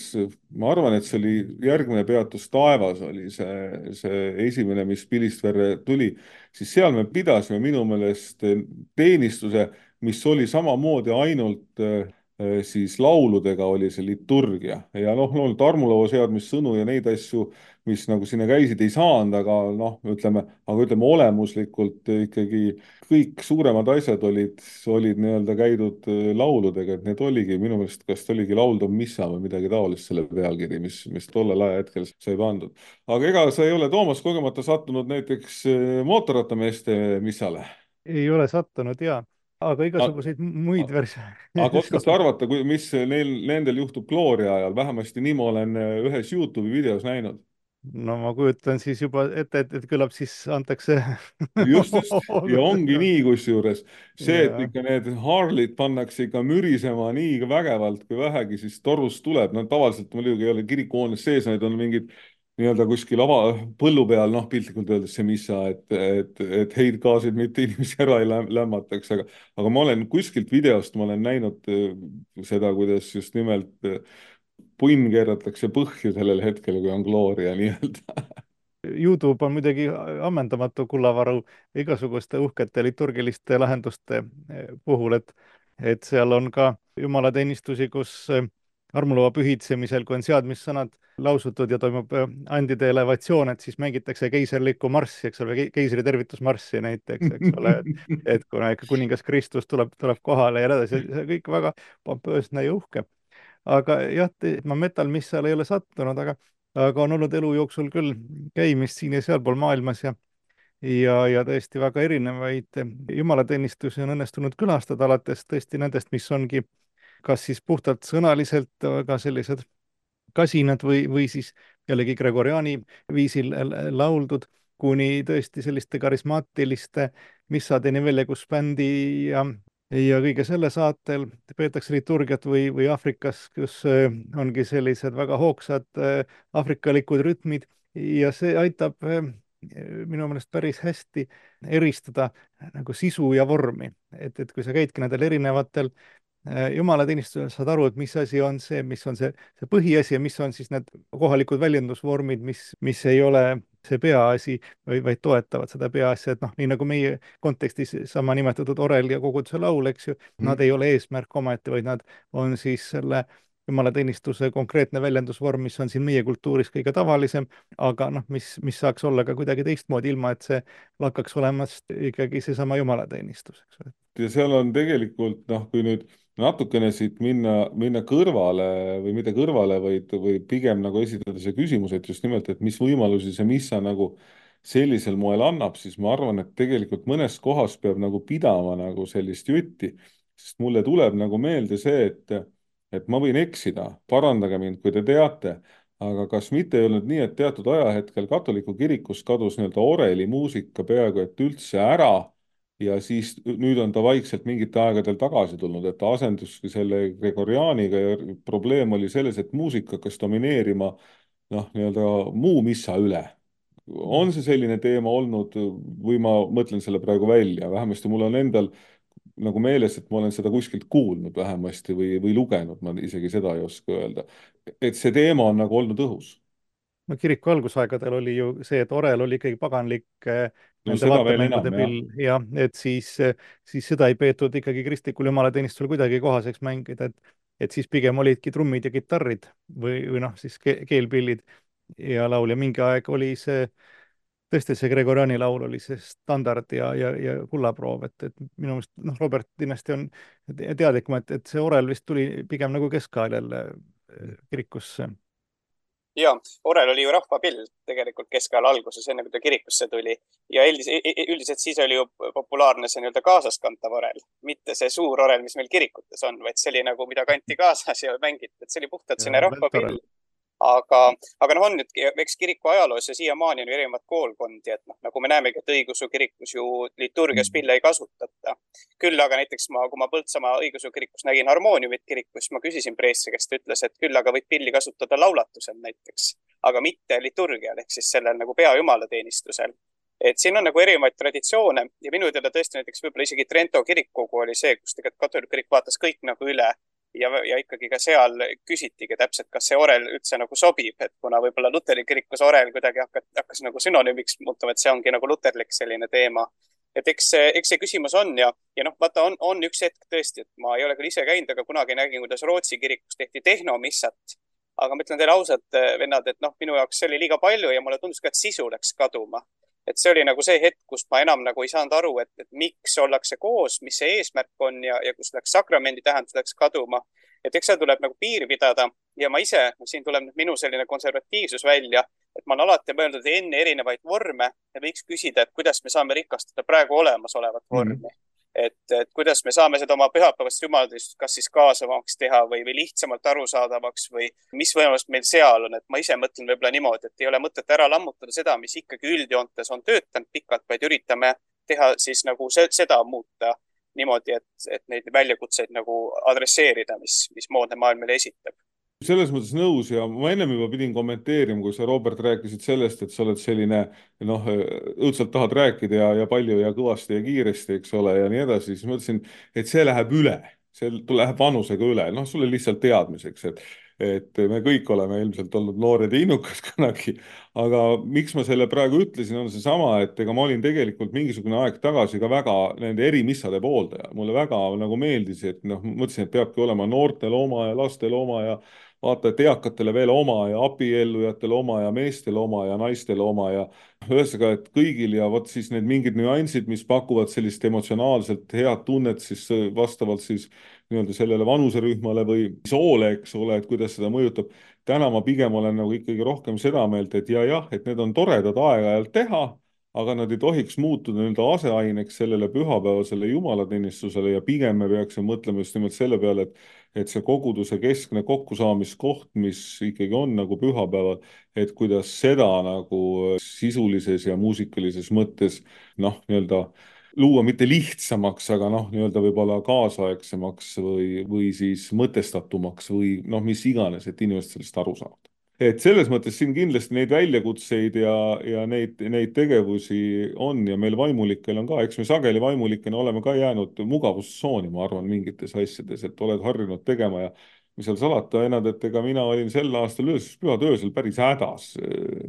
ma arvan, et see oli järgmine peatus taevas, oli see esimene, mis Pilistverre tuli, siis seal me pidasime minu meelest teenistuse, mis oli samamoodi ainult siis lauludega oli see liturgia ja loomulikult armulaua seadmissõnu ja neid asju, mis nagu sinna käisid, ei saanud, aga ütleme olemuslikult ikkagi kõik suuremad asjad olid nii-öelda käidud lauludega, et need oligi minu meelest, kas oligi lauldav missa või midagi taolist selle pealkiri, mis tollel ajahetkel sai pandud. Aga ega sa ei ole, Toomas, kogemata sattunud näiteks mootorrattameeste missale? Ei ole sattunud, jaa. Aga igasuguseid muid versioone. Aga oskad sa arvata, mis nendel juhtub Gloria ajal? Vähemasti nii ma olen ühes YouTube'i videos näinud. No ma kujutan siis juba ette, et kõlab siis antakse. Just. Ja ongi nii kusjuures. See, et ikka need Harley'd pannakse ikka mürisema nii vägevalt, kui vähegi siis torust tuleb. Tavaliselt muidugi ei ole kirikuhoones sees, need on mingid nii-öelda kuskil põllu peal, piltlikult öeldes see missa, et heidgaasid mitte inimesi ära ei lämmataks, aga ma olen kuskilt videost, ma olen näinud seda, kuidas just nimelt punn keeratakse põhju sellel hetkel, kui on Gloria nii-öelda. YouTube on muidugi ammendamatu kullavaru igasuguste uhkete liturgiliste lahenduste puhul, et seal on ka jumalateenistusi, kus armulaua pühitsemisel, kui on seadmissõnad lausutud ja toimub andide elevatsioon, et siis mängitakse keiserlikku marssi, eks ole, keisri tervitusmarssi näiteks, eks ole, et kuna ikka kuningas Kristus tuleb kohale ja nii edasi, see kõik väga pompöösne ja uhke. Aga jah, ma metal missale ei ole sattunud, aga on olnud elu jooksul küll käimist siin ja sealpool maailmas ja tõesti väga erinevaid jumalateenistusi on õnnestunud külastada, alates tõesti nendest, mis ongi kas siis puhtalt sõnaliselt väga sellised kasinad või siis jällegi Gregoriani viisil lauldud, kuni tõesti selliste karismaatiliste missadeni välja, kus bändi ja kõige selle saatel peetakse liturgiat või Aafrikas, kus ongi sellised väga hoogsad afrikalikud rütmid ja see aitab minu meelest päris hästi eristada nagu sisu ja vormi, et kui sa käidki nendel erinevatel jumalateenistusel, saad aru, et mis asi on see, mis on see põhiasi ja mis on siis need kohalikud väljendusvormid, mis ei ole see peaasi, vaid toetavad seda peaasja, et noh, nii nagu meie kontekstis sama nimetatud orel ja koguduse laul, eks ju, nad ei ole eesmärk omaette, vaid nad on siis selle jumalateenistuse konkreetne väljendusvorm, mis on siin meie kultuuris kõige tavalisem, aga noh, mis saaks olla ka kuidagi teistmoodi, ilma et see lakkaks olemast ikkagi seesama jumalateenistus, eks ju. Ja seal on tegelikult, noh, kui nüüd natukene siit minna kõrvale või mitte kõrvale, või pigem nagu esitada see küsimus, et just nimelt, et mis võimalusi see missa nagu sellisel moel annab, siis ma arvan, et tegelikult mõnes kohas peab nagu pidama nagu sellist jutti, sest mulle tuleb nagu meelde see, et ma võin eksida, parandage mind, kui te teate, aga kas mitte ei olnud nii, et teatud ajahetkel katoliku kirikus kadus nii-öelda orelimuusika peaaegu et üldse ära ja siis nüüd on ta vaikselt mingite aegadel tagasi tulnud, et ta asenduski selle Gregoriaaniga ja probleem oli selles, et muusika hakkas domineerima noh, nii-öelda muu missa üle. On see selline teema olnud või ma mõtlen selle praegu välja, vähemasti mul on endal nagu meeles, et ma olen seda kuskilt kuulnud vähemasti või lugenud, ma isegi seda ei oska öelda. Et see teema on nagu olnud õhus. No kiriku algusaegadel oli ju see, et orel oli ikkagi paganlik nende seda veel vaatemängude enam, pill ja et siis seda ei peetud ikkagi kristlikul jumalateenistusel kuidagi kohaseks mängida, et siis pigem olidki trummid ja kitarrid või noh, siis keelpillid ja laul ja mingi aeg oli see tõesti see Gregoriani laul oli see standard ja kullaproov, et minu meelest noh, Robert kindlasti on teadlikum, et see orel vist tuli pigem nagu keskajal kirikusse. Ja, orel oli ju rahvapill tegelikult keskajal alguses, enne kui ta kirikusse tuli ja üldiselt siis oli ju populaarne see nii-öelda kaasaskantav orel, mitte see suur orel, mis meil kirikutes on, vaid see oli nagu, mida kanti kaasas ja mängiti, et see oli puhtalt selline rahvapill. Aga noh, on nüüd, eks kiriku ajaloos ja siiamaani on ju erinevad koolkondi, et noh, nagu me näemegi, et õigeusu kirikus ju liturgias pille ei kasutata. Küll aga näiteks kui ma Põltsamaa õigeusu kirikus nägin harmooniumit kirikus, ma küsisin preestri, kes ta ütles, et küll aga võid pilli kasutada laulatusel näiteks, aga mitte liturgial ehk siis sellel nagu peajumalateenistusel. Et siin on nagu erinevaid traditsioone ja minu teada tõesti näiteks võib-olla isegi Trento kirikkogu oli see, kus tegelikult katoliku kirik vaatas kõik nagu üle. Ja ikkagi ka seal küsitigi täpselt, kas see orel üldse nagu sobib, et kuna võib-olla luteri kirikus orel kuidagi hakkas nagu sünonüümiks muutuma, et see ongi nagu luterlik selline teema. Et eks see küsimus on ja noh, vaata on üks hetk tõesti, et ma ei ole küll ise käinud, aga kunagi nägin, kuidas Rootsi kirikus tehti tehnomissat. Aga ma ütlen teile ausalt, vennad, et noh, minu jaoks see oli liiga palju ja mulle tundus ka, et sisu läks kaduma. Et see oli nagu see hetk, kus ma enam nagu ei saanud aru, et miks ollakse koos, mis see eesmärk on ja kus läks sakramendi tähendus läks kaduma. Et eks seal tuleb nagu piiri pidada ja ma ise, siin tuleb minu selline konservatiivsus välja, et ma olen alati mõelnud enne erinevaid vorme ja võiks küsida, et kuidas me saame rikastada praegu olemasolevat vormi. Et kuidas me saame seda oma pühapäevast jumalateenistust kas siis kaasavamaks teha või lihtsamalt arusaadavaks või mis võimalus meil seal on, et ma ise mõtlen võib-olla niimoodi, et ei ole mõtet ära lammutada seda, mis ikkagi üldjoontes on töötanud pikalt, vaid üritame teha siis nagu seda muuta niimoodi, et neid väljakutseid nagu adresseerida, mis moodne maailm meile esitab. Selles mõttes nõus ja ma ennem juba pidin kommenteerima, kui sa, Robert, rääkisid sellest, et sa oled selline, noh, õudselt tahad rääkida ja palju ja kõvasti ja kiiresti, eks ole, ja nii edasi, siis mõtlesin, et see läheb üle, see läheb vanusega üle, noh, sulle lihtsalt teadmiseks, et me kõik oleme ilmselt olnud noored ja innukad kunagi, aga miks ma selle praegu ütlesin, on seesama, et ega ma olin tegelikult mingisugune aeg tagasi ka väga nende erimissade pooldaja. Mulle väga nagu meeldis, et noh, mõtlesin, et peabki olema noortel oma ja lastel oma ja vaata, et eakatele veel oma ja abiellujatele oma ja meestele oma ja naistele oma ja ühesõnaga, et kõigil ja vot siis need mingid nüansid, mis pakuvad sellist emotsionaalselt head tunnet siis vastavalt siis nii-öelda sellele vanuserühmale või soole, eks ole, et kuidas seda mõjutab. Täna ma pigem olen nagu ikkagi rohkem seda meelt, et jah, et need on toredad aeg-ajalt teha, aga nad ei tohiks muutuda nii-öelda aseaineks sellele pühapäevasele jumalateenistusele ja pigem me peaksime mõtlema just nimelt selle peale, et see koguduse keskne kokkusaamiskoht, mis ikkagi on nagu pühapäeval, et kuidas seda nagu sisulises ja muusikalises mõttes noh, nii-öelda luua mitte lihtsamaks, aga noh, nii-öelda võib-olla kaasaegsemaks või siis mõtestatumaks või noh, mis iganes, et inimesed sellest aru saavad. et selles mõttes siin kindlasti neid väljakutseid ja neid tegevusi on ja meil vaimulikel on ka, eks me sageli vaimulikena oleme ka jäänud mugavustsooni, ma arvan, mingites asjades, et oled harjunud tegema ja mis seal salata, Enad, et ega mina olin sel aastal pühade öösel päris hädas,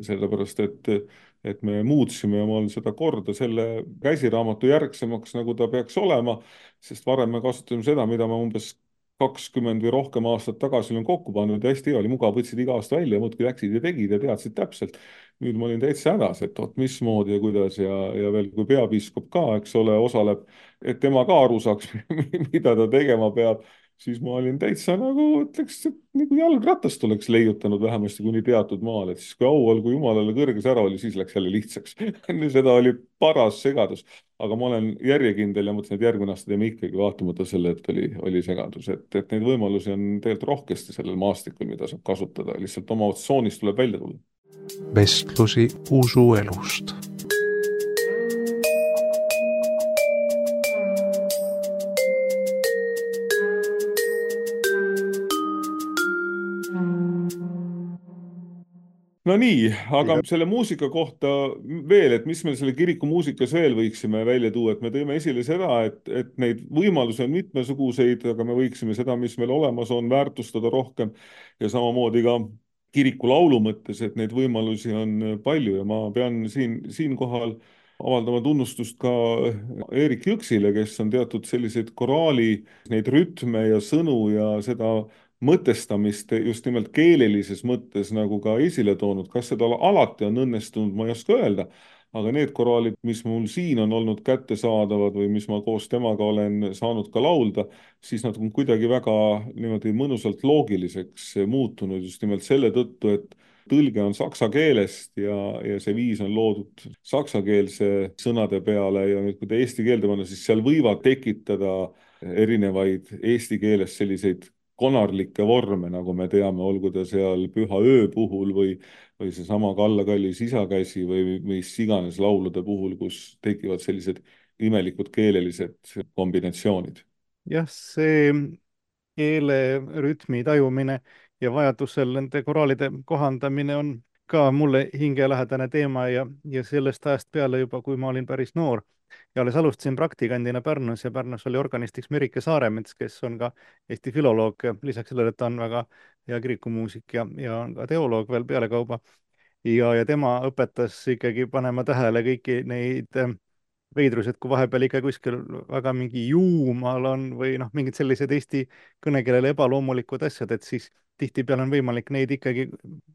sellepärast et me muutsime omal seda korda selle käsiraamatu järgsemaks, nagu ta peaks olema, sest varem me kasutasime seda, mida me umbes 20 või rohkem aastat tagasi olin kokku pannud ja hästi hea oli, mugav, võtsid iga aasta välja, muudkui läksid ja tegid ja teadsid täpselt. Nüüd ma olin täitsa hädas, et oot, mismoodi ja kuidas ja veel kui peapiiskop ka, eks ole, osaleb, et tema ka aru saaks, mida ta tegema peab, siis ma olin täitsa nagu, ütleks, et nagu jalgratast oleks leiutanud vähemasti kuni teatud maal, et siis kui au olgu Jumalale kõrges ära oli, siis läks jälle lihtsaks. Seda oli paras segadus. Aga ma olen järjekindel ja mõtlen, et järgmine aasta teeme ikkagi vaatamata selle, et oli segadus. Et neid võimalusi on tegelikult rohkesti sellel maastikul, mida saab kasutada. Lihtsalt oma tsoonist tuleb välja tulla. Vestlusi usuelust. No nii, aga selle muusika kohta veel, et mis me selle kiriku muusikas veel võiksime välja tuua, et me tõime esile seda, et neid võimalusi on mitmesuguseid, aga me võiksime seda, mis meil olemas on, väärtustada rohkem ja samamoodi ka kiriku laulu mõttes, et neid võimalusi on palju ja ma pean siinkohal avaldama tunnustust ka Erik Jõksile, kes on teatud selliseid koraali, neid rütme ja sõnu ja seda mõtestamist just nimelt keelelises mõttes nagu ka esile toonud. Kas seda alati on õnnestunud, ma ei oska öelda, aga need koraalid, mis mul siin on olnud kättesaadavad või mis ma koos temaga olen saanud ka laulda, siis nad on kuidagi väga niimoodi mõnusalt loogiliseks muutunud just nimelt selle tõttu, et tõlge on saksa keelest ja see viis on loodud saksakeelse sõnade peale ja nüüd, kui ta eesti keelde panna, siis seal võivad tekitada erinevaid eesti keeles selliseid konarlikke vorme, nagu me teame, olgu ta seal Püha öö puhul või seesama Kalla kallis isakäsi või mis iganes laulude puhul, kus tekivad sellised imelikud keelelised kombinatsioonid. Jah, see keele rütmi tajumine ja vajadusel nende koraalide kohandamine on ka mulle hingelähedane teema ja sellest ajast peale juba, kui ma olin päris noor ja alles alustasin praktikandina Pärnus ja Pärnus oli organistiks Merike Saaremets, kes on ka Eesti filoloog, lisaks sellele, et ta on väga hea kirikumuusik ja on ka teoloog veel pealekauba. Ja tema õpetas ikkagi panema tähele kõiki neid veidrused, kui vahepeal ikka kuskil väga mingi juumal on või noh, mingid sellised eesti kõnekeelele ebaloomulikud asjad, et siis tihtipeale on võimalik neid ikkagi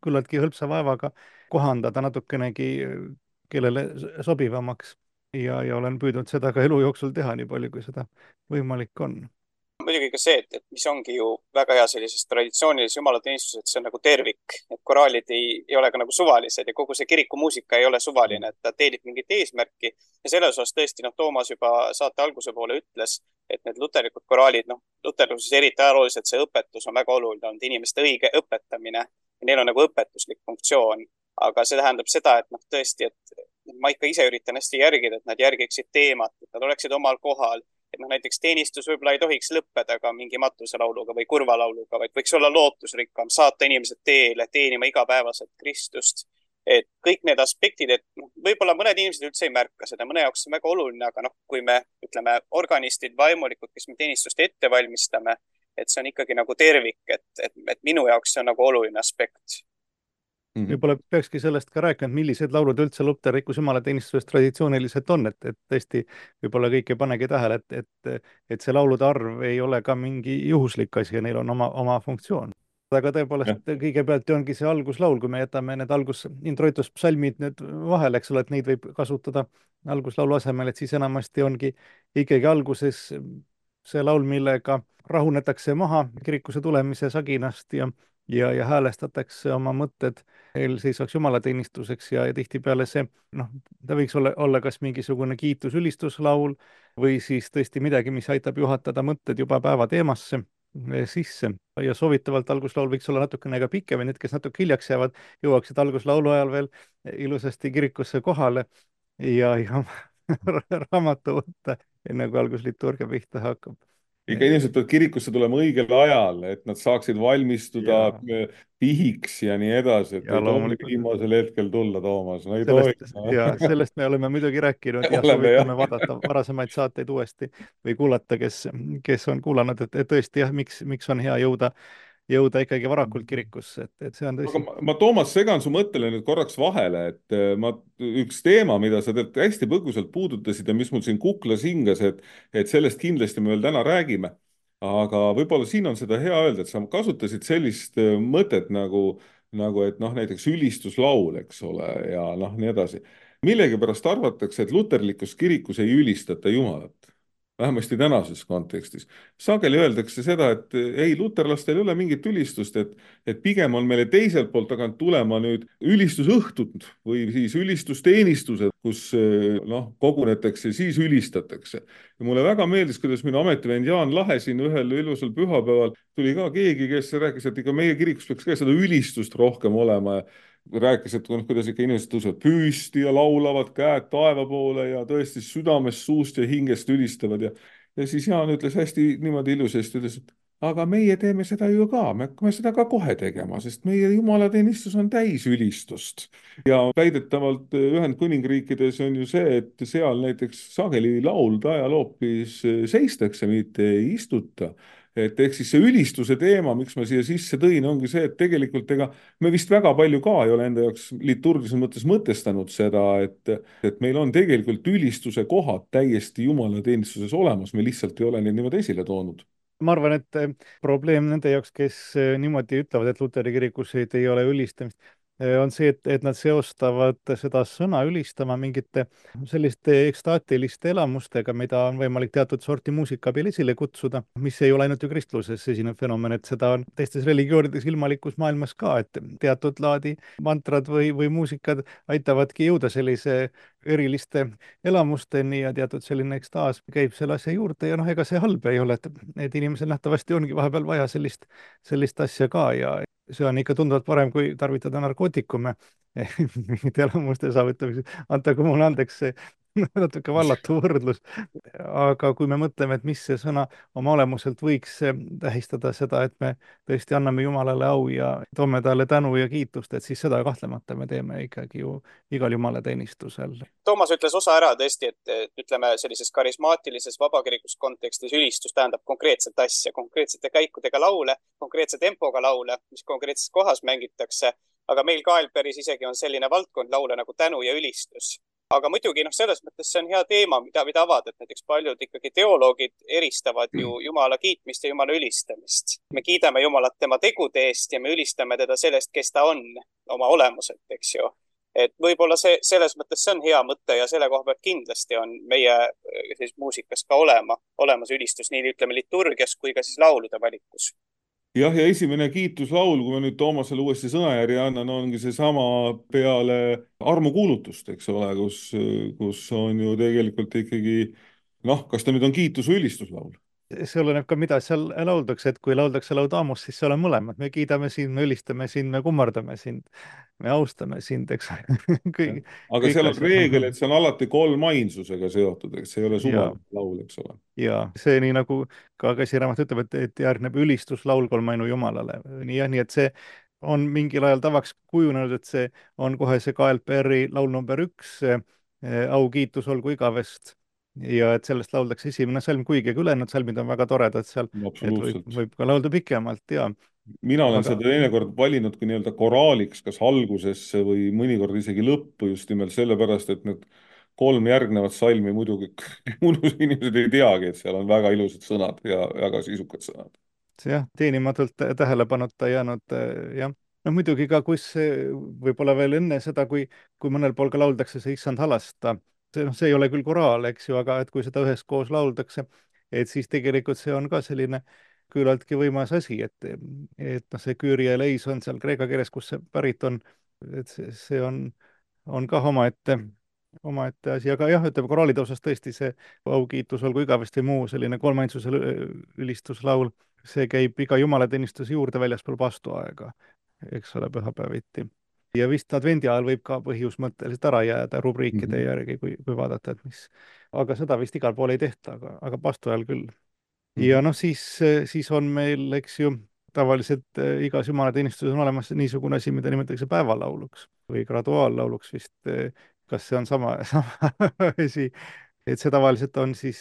küllaltki hõlpsa vaevaga kohandada natukenegi kellele sobivamaks ja olen püüdnud seda ka elu jooksul teha, nii palju kui seda võimalik on. Muidugi ka see, et mis ongi ju väga hea sellises traditsioonilises jumalateenistuses, et see on nagu tervik, et koraalid ei ole ka nagu suvalised ja kogu see kirikumuusika ei ole suvaline, et ta teenib mingit eesmärki ja selles osas tõesti, Toomas juba saate alguse poole ütles, et need luterlikud koraalid, luterluses eriti ajalooliselt see õpetus on väga oluline olnud, inimeste õige õpetamine ja neil on nagu õpetuslik funktsioon, aga see tähendab seda, et tõesti, et ma ikka ise üritan hästi järgida, et nad järgiksid teemat, et nad oleksid omal kohal. Et näiteks teenistus võib-olla ei tohiks lõppeda ka mingi matuselauluga või kurvalauluga, vaid võiks olla lootusrikkam, saata inimesed teele, teenima igapäevaselt Kristust. Et kõik need aspektid, et võib-olla mõned inimesed üldse ei märka seda, mõne jaoks on väga oluline, aga kui me ütleme organistid, vaimulikud, kes me teenistust ette valmistame, et see on ikkagi nagu tervik, et minu jaoks see on nagu oluline aspekt. Võib-olla peakski sellest ka rääkima, millised laulud üldse luterlikus jumalateenistuses traditsiooniliselt on, et tõesti võib-olla kõik ei panegi tähele, et see laulude arv ei ole ka mingi juhuslik asi ja neil on oma funktsioon. Aga tõepoolest kõigepealt ongi see alguslaul, kui me jätame need introituspsalmid nüüd vahele, eks ole, et neid võib kasutada alguslaulu asemel, et siis enamasti ongi ikkagi alguses see laul, millega rahunetakse maha kirikusse tulemise saginast ja häälestatakse oma mõtted eelseisvaks jumalateenistuseks ja tihtipeale see, ta võiks olla kas mingisugune kiitus-ülistuslaul või siis tõesti midagi, mis aitab juhatada mõtted juba päeva teemasse sisse ja soovitavalt alguslaul võiks olla natukene ka pikem ja need, kes natuke hiljaks jäävad, jõuaksid alguslaulu ajal veel ilusasti kirikusse kohale ja raamatu võtta, enne kui algusliturgia pihta hakkab. ikka inimesed peavad kirikusse tulema õigel ajal, et nad saaksid valmistuda pihiks ja nii edasi, et ja ei tohi viimasel hetkel tulla, Toomas, no ei tohi. Sellest me oleme muidugi rääkinud ja soovitame vaadata varasemaid saateid uuesti või kuulata, kes on kuulanud, et tõesti jah, miks on hea jõuda ikkagi varakult kirikusse, et see on tõsi. Aga ma, Toomas, segan su mõttele nüüd korraks vahele, et üks teema, mida sa tegelikult hästi põgusalt puudutasid ja mis mul siin kuklas hingas, et sellest kindlasti me veel täna räägime, aga võib-olla siin on seda hea öelda, et sa kasutasid sellist mõtet nagu et noh, näiteks ülistuslaul, eks ole, ja noh, nii edasi. Millegipärast arvatakse, et luterlikus kirikus ei ülistata Jumalat. Vähemasti tänases kontekstis. Sageli öeldakse seda, et ei, luterlastel ei ole mingit ülistust, et pigem on meile teiselt poolt tagant tulema nüüd ülistusõhtud või siis ülistusteenistused, kus noh, kogunetakse, siis ülistatakse. Ja mulle väga meeldis, kuidas minu ametivend Jaan Lahe siin ühel ilusal pühapäeval tuli ka keegi, kes rääkis, et ikka meie kirikus peaks ka seda ülistust rohkem olema ja rääkis, et kuidas ikka inimesed tõusevad püsti ja laulavad käed taeva poole ja tõesti südamest, suust ja hingest ülistavad ja siis Jaan ütles hästi niimoodi ilusasti, ütles, et aga meie teeme seda ju ka, me hakkame seda ka kohe tegema, sest meie jumalateenistus on täis ülistust. Ja väidetavalt Ühendkuningriikides on ju see, et seal näiteks sageli laulda ajal hoopis seistakse, mitte ei istuta. Et ehk siis see ülistuse teema, miks ma siia sisse tõin, ongi see, et tegelikult me vist väga palju ka ei ole enda jaoks liturgilises mõttes mõtestanud seda, et meil on tegelikult ülistuse kohad täiesti jumalateenistuses olemas, me lihtsalt ei ole neid niimoodi esile toonud. Ma arvan, et probleem nende jaoks, kes niimoodi ütlevad, et luteri kirikus ei ole ülistamist, on see, et nad seostavad seda sõna ülistama mingite selliste ekstaatiliste elamustega, mida on võimalik teatud sorti muusika abil esile kutsuda, mis ei ole ainult ju kristluses esinev fenomen, et seda on teistes religioonides ilmalikus maailmas ka, et teatud laadi mantrad või muusikad aitavadki jõuda sellise eriliste elamusteni ja teatud selline ekstaas käib selle asja juurde ja noh, ega see halb ei ole, et inimesel nähtavasti ongi vahepeal vaja sellist asja ka ja see on ikka tunduvalt parem, kui tarvitada narkootikume mingite elamuste saavutamiseks. Antagu mulle andeks see natuke vallatu võrdlus. Aga kui me mõtleme, et mis see sõna oma olemuselt võiks tähistada seda, et me tõesti anname Jumalale au ja toome talle tänu ja kiitust, et siis seda kahtlemata me teeme ikkagi ju igal jumalateenistusel. Toomas ütles osa ära tõesti, et ütleme sellises karismaatilises vabakirikus kontekstis ülistus tähendab konkreetset asja, konkreetsete käikudega laule, konkreetse tempoga laule, mis konkreetses kohas mängitakse. Aga meil Kaelperis isegi on selline valdkond laule nagu tänu ja ülistus. Aga muidugi selles mõttes see on hea teema, mida avada, et näiteks paljud ikkagi teoloogid eristavad ju Jumala kiitmist ja Jumala ülistamist. Me kiidame Jumalat tema tegude eest ja me ülistame teda sellest, kes ta on oma olemuselt, eks ju. Et võib-olla selles mõttes see on hea mõte ja selle koha pealt kindlasti on meie muusikas ka olemas ülistus, nii ütleme liturgias kui ka siis laulude valikus. Jah, ja esimene kiituslaul, kui ma nüüd Toomasele uuesti sõnajärje annan, ongi see sama peale armukuulutust, eks ole, kus on ju tegelikult ikkagi, noh, kas ta nüüd on kiitus- või ülistuslaul? See oleneb ka, mida seal lauldakse, et kui lauldakse laudaamus, siis seal on mõlemad. Me kiidame sind, me ülistame sind, me kummardame sind, me austame sind, eks. Aga seal on reegel, et see on alati kolmainsusega seotud, eks see ei ole suvaline laul, eks ole. Ja see nii nagu ka käsiraamat ütleb, et järgneb ülistuslaul kolmainu Jumalale. Nii et see on mingil ajal tavaks kujunenud, et see on kohe see KLPR-i laul number 1, au kiitus olgu igavest. Ja et sellest lauldakse esimene salm, kuigi ülejäänud salmid on väga toredad seal, et võib ka laulda pikemalt, ja. Mina olen seda teinekord valinud kui nii-öelda koraaliks, kas algusesse või mõnikord isegi lõppu just nimelt sellepärast, et need 3 järgnevat salmi muidugi inimesed ei teagi, et seal on väga ilusad sõnad ja väga sisukad sõnad. See jah, teenimatult tähelepanuta jäänud, jah. No muidugi ka, kus võib-olla veel enne seda, kui mõnel pool ka lauldakse see issand halasta, see ei ole küll koraal, eks ju, aga et kui seda üheskoos lauldakse, et siis tegelikult see on ka selline küllaltki võimas asi, et see Kyrie eleison seal kreeka keeles, kus see pärit on, et see on ka omaette asi, aga jah, ütleme koraalide osas tõesti see au kiitus olgu igavesti muu selline kolmainsuse ülistuslaul, see käib iga jumalateenistuse juurde väljaspool vastuaega, eks ole, pühapäeviti. Ja vist advendi ajal võib ka põhjusmõtteliselt ära jääda rubriikide järgi, kui vaadata, et mis. Aga seda vist igal pool ei tehta, aga vastu ajal küll. ja noh, siis on meil, eks ju, tavaliselt igas jumalateenistuses on olemas niisugune asi, mida nimetatakse päevalauluks või graduaallauluks vist. Kas see on sama asi? Et see tavaliselt on siis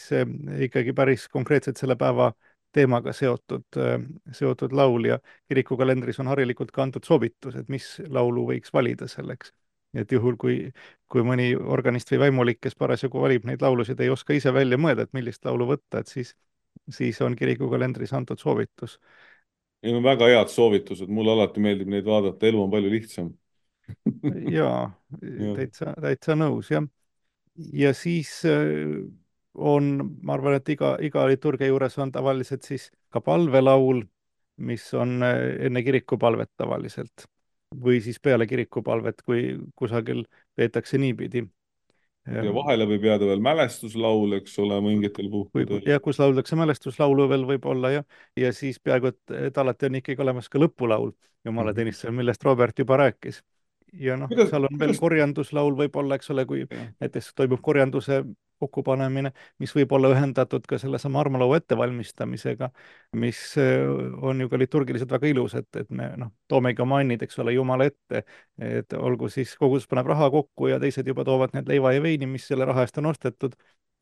ikkagi päris konkreetselt selle päeva teemaga seotud laul ja kirikukalendris on harilikult ka antud soovitus, et mis laulu võiks valida selleks. Et juhul, kui mõni organist või vaimulik, kes parasjagu valib neid laulusid, ei oska ise välja mõelda, et millist laulu võtta, et siis on kirikukalendris antud soovitus. Need on väga head soovitused, mulle alati meeldib neid vaadata, elu on palju lihtsam. jaa, täitsa nõus, jah. Ja siis on, ma arvan, et iga liturgia juures on tavaliselt siis ka palvelaul, mis on enne kirikupalvet tavaliselt või siis peale kirikupalvet, kui kusagil peetakse niipidi. Ja vahele võib jääda veel mälestuslaul, eks ole, mingitel puhkudel. Ja kus lauldakse mälestuslaulu veel võib-olla ja siis peaaegu, et alati on ikkagi olemas ka lõpulaul jumalateenistusel, millest Robert juba rääkis. Ja noh, seal on veel korjanduslaul võib-olla, eks ole, kui näiteks toimub korjanduse kokkupanemine, mis võib olla ühendatud ka sellesama armulaua ettevalmistamisega, mis on ju ka liturgiliselt väga ilus, et me toomegi oma annid, eks ole, Jumala ette, et olgu siis kogudus paneb raha kokku ja teised juba toovad need leiva ja veini, mis selle raha eest on ostetud,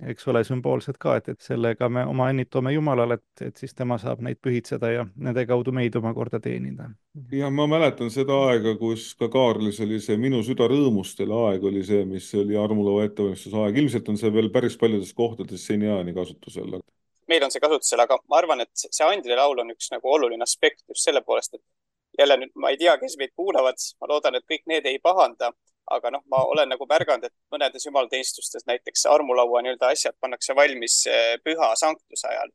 eks ole, sümboolselt ka, et sellega me oma annid toome Jumalale, et siis tema saab neid pühitseda ja nende kaudu meid omakorda teenida. Ja ma mäletan seda aega, kus ka Kaarlis oli see Minu süda rõõmustel aeg oli see, mis oli armulaua ettevalmistuse aeg. Ilmselt on see veel päris paljudes kohtades seniaani kasutusel. Meil on see kasutusel, aga ma arvan, et see andide laul on üks nagu oluline aspekt just selle poolest, et jälle nüüd ma ei tea, kes meid kuulavad, ma loodan, et kõik need ei pahanda, aga noh, ma olen nagu märganud, et mõnedes jumalateenistustes näiteks armulaua nii-öelda asjad pannakse valmis püha sanktuse ajal.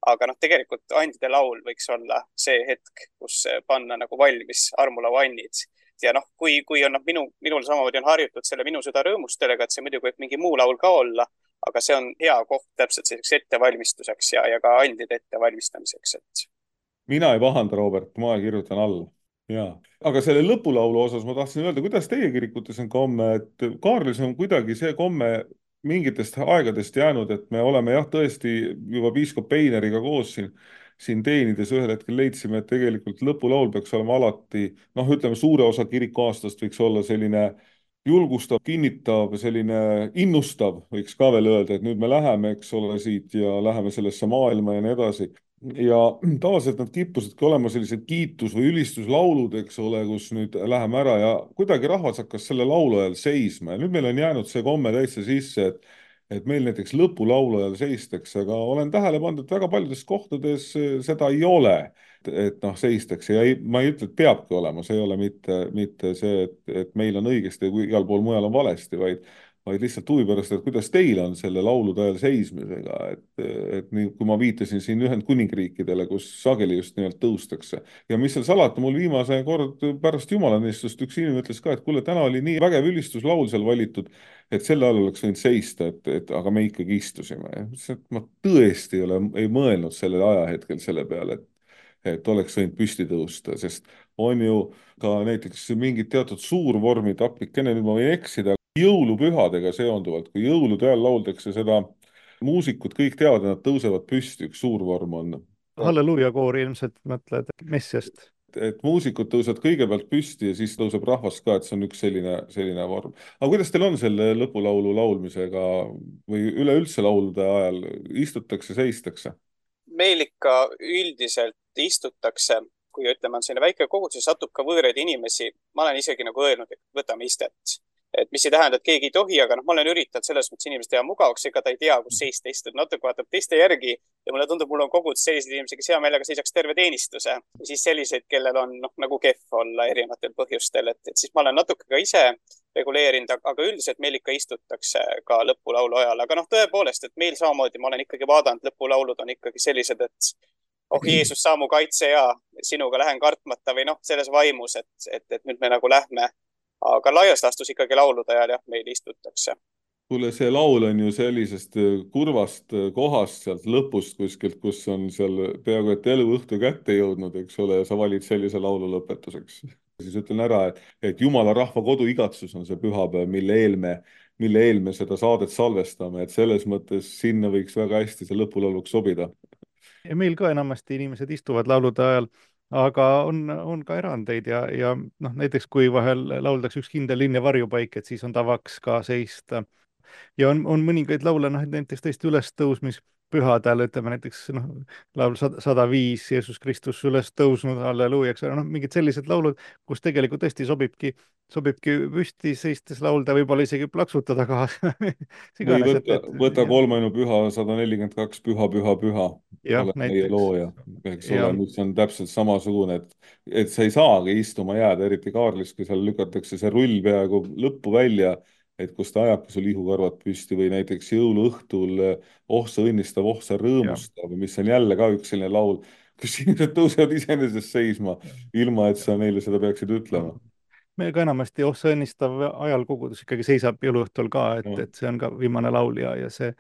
Aga noh, tegelikult andide laul võiks olla see hetk, kus panna nagu valmis armulaua annid. Ja noh, kui on minul samamoodi on harjutud selle Minu süda rõõmustelega, et see muidugi võib mingi muu laul ka olla, aga see on hea koht täpselt selliseks ettevalmistuseks ja ka andide ettevalmistamiseks. Mina ei pahanda, Robert, ma kirjutan alla. Jaa. Aga selle lõpulaulu osas ma tahtsin öelda, kuidas teie kirikutes on komme, et Kaarlis on kuidagi see komme mingitest aegadest jäänud, et me oleme jah, tõesti juba piiskop Eineriga koos siin teenides ühel hetkel leidsime, et tegelikult lõpulaul peaks olema alati, ütleme, suure osa kirikuaastast võiks olla selline julgustav, kinnitav, selline innustav, võiks ka veel öelda, et nüüd me läheme, eks ole, siit ja läheme sellesse maailma ja nii edasi. Ja tavaliselt nad kippusidki olema sellised kiitus- või ülistuslaulud, eks ole, kus nüüd läheme ära ja kuidagi rahvas hakkas selle laulu ajal seisma ja nüüd meil on jäänud see komme täitsa sisse, et meil näiteks lõpulaulu ajal seistakse, aga olen tähele pannud, et väga paljudes kohtades seda ei ole, et seistakse ja ma ei ütle, et peabki olema, see ei ole mitte see, et meil on õigesti ja igal pool mujal on valesti, vaid lihtsalt huvi pärast, et kuidas teil on selle laulude ajal seismisega, et nii, kui ma viitasin siin Ühendkuningriikidele, kus sageli just nimelt tõustakse. Ja mis seal salata, mul viimase kord pärast jumalanistust üks inimene ütles ka, et kuule, täna oli nii vägev ülistuslaul seal valitud, et selle all oleks võinud seista, aga me ikkagi istusime. Ma tõesti ei mõelnud sellel ajahetkel selle peale, et oleks võinud püsti tõusta, sest on ju ka näiteks mingid teatud suurvormid, appikene, nüüd ma võin eksida, jõulupühadega seonduvalt, kui jõulude ajal lauldakse seda, muusikud kõik teavad, nad tõusevad püsti, üks suur vorm on. Halleluuja koori ilmselt mõtled messiast. Et muusikud tõusevad kõigepealt püsti ja siis tõuseb rahvas ka, et see on üks selline vorm. Aga kuidas teil on selle lõpulaulu laulmisega või üleüldse laulude ajal, istutakse, seistakse? Meil ikka üldiselt istutakse, kui ütleme, on selline väike kogudus, satub ka võõraid inimesi. Ma olen isegi nagu öelnud, et võtame istet. Et mis ei tähenda, et keegi ei tohi, aga ma olen üritanud selles mõttes inimest teha mugavaks, ega ta ei tea, kus seista istud, natuke vaatab teiste järgi ja mulle tundub, mul on kogudus selliseid inimesi, kes hea meelega seisaks terve teenistuse ja siis selliseid, kellel on nagu kehv olla erinevatel põhjustel, et siis ma olen natuke ka ise reguleerinud, aga üldiselt meil ikka istutakse ka lõpulaulu ajal, aga tõepoolest, et meil samamoodi ma olen ikkagi vaadanud, lõpulaulud on ikkagi sellised, et oh Jeesus, saa mu kaitse ja sinuga lähen kartmata või selles vaimus, et nüüd me nagu lähme. Aga laias laastus ikkagi laulude ajal jah, meil istutakse. Kuule, see laul on ju sellisest kurvast kohast sealt lõpust kuskilt, kus on seal peaaegu et eluõhtu kätte jõudnud, eks ole, ja sa valid sellise laulu lõpetuseks. Siis ütlen ära, et Jumala rahva kodu igatsus on see pühapäev, mille eel me seda saadet salvestame, et selles mõttes sinna võiks väga hästi see lõpulauluks sobida. Ja meil ka enamasti inimesed istuvad laulude ajal, aga on ka erandeid ja noh, näiteks kui vahel lauldakse üks kindel linn ja varjupaik, et siis on tavaks ka seista. Ja on mõningaid laule, noh, et näiteks tõesti ülestõusmispühadel, ütleme näiteks noh, laul 105, Jeesus Kristus üles tõusnud, halleluuja, eks ole, noh, mingid sellised laulud, kus tegelikult tõesti sobibki püsti seistes laulda, võib-olla isegi plaksutada kaasa või iganes, võta kolmainu püha 142, püha, püha, püha, jah, oled meie näiteks. looja, eks ole, mis on täpselt samasugune, et sa ei saagi istuma jääda, eriti Kaarlis, kui seal lükatakse see rull peaaegu lõppu välja, et kus ta ajabki sul ihukarvad püsti või näiteks jõuluõhtul Oh sa õnnistav, oh sa rõõmustav, mis on jälle ka üks selline laul, kus inimesed tõusevad iseenesest seisma, ilma et sa neile seda peaksid ütlema. Meil ka enamasti Oh sa õnnistav ajal kogudus ikkagi seisab jõuluõhtul ka, et see on ka viimane laul ja see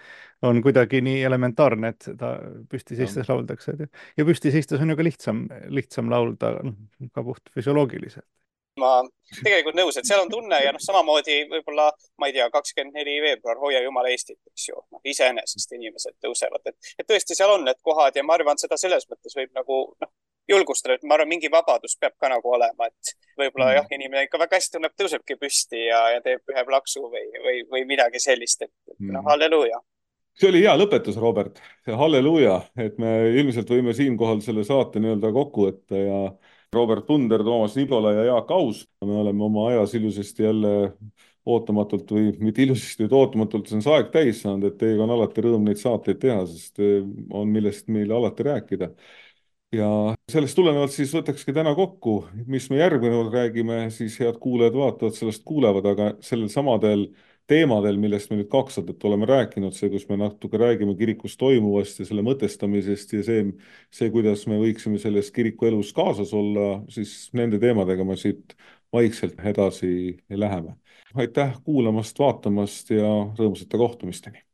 on kuidagi nii elementaarne, et seda püsti seistes lauldakse. Ja püsti seistes on ju ka lihtsam laulda, ka puht füsioloogiliselt. Ma tegelikult nõus, et seal on tunne ja noh, samamoodi võib-olla, ma ei tea, 24 veebruar, hoia Jumala Eestit, eks ju, noh, iseenesest inimesed tõusevad, et tõesti seal on need kohad ja ma arvan, seda selles mõttes võib nagu noh, julgustada, et ma arvan, mingi vabadus peab ka nagu olema, et võib-olla jah, inimene ikka väga hästi tunneb, tõusebki püsti ja teeb ühe plaksu või midagi sellist, et noh, halleluuja. See oli hea lõpetus, Robert, halleluuja, et me ilmselt võime siinkohal selle saate nii-öelda kokku võtta ja Robert Punder, Toomas Nibola ja Jaak Aus. Me oleme oma ajas ilusasti jälle ootamatult või mitte ilusasti, vaid ootamatult see on see aeg täis saanud, et teiega on alati rõõm neid saateid teha, sest on millest meile alati rääkida. Ja sellest tulenevalt siis võtakski täna kokku, mis me järgmine kord räägime, siis head kuulajad vaatavad, sellest kuulevad, aga sellel samadel teemadel, millest me nüüd 2 aastat oleme rääkinud, see, kus me natuke räägime kirikus toimuvast ja selle mõtestamisest ja see, kuidas me võiksime selles kiriku elus kaasas olla, siis nende teemadega me siit vaikselt edasi läheme. Aitäh kuulamast, vaatamast ja rõõmsate kohtumisteni!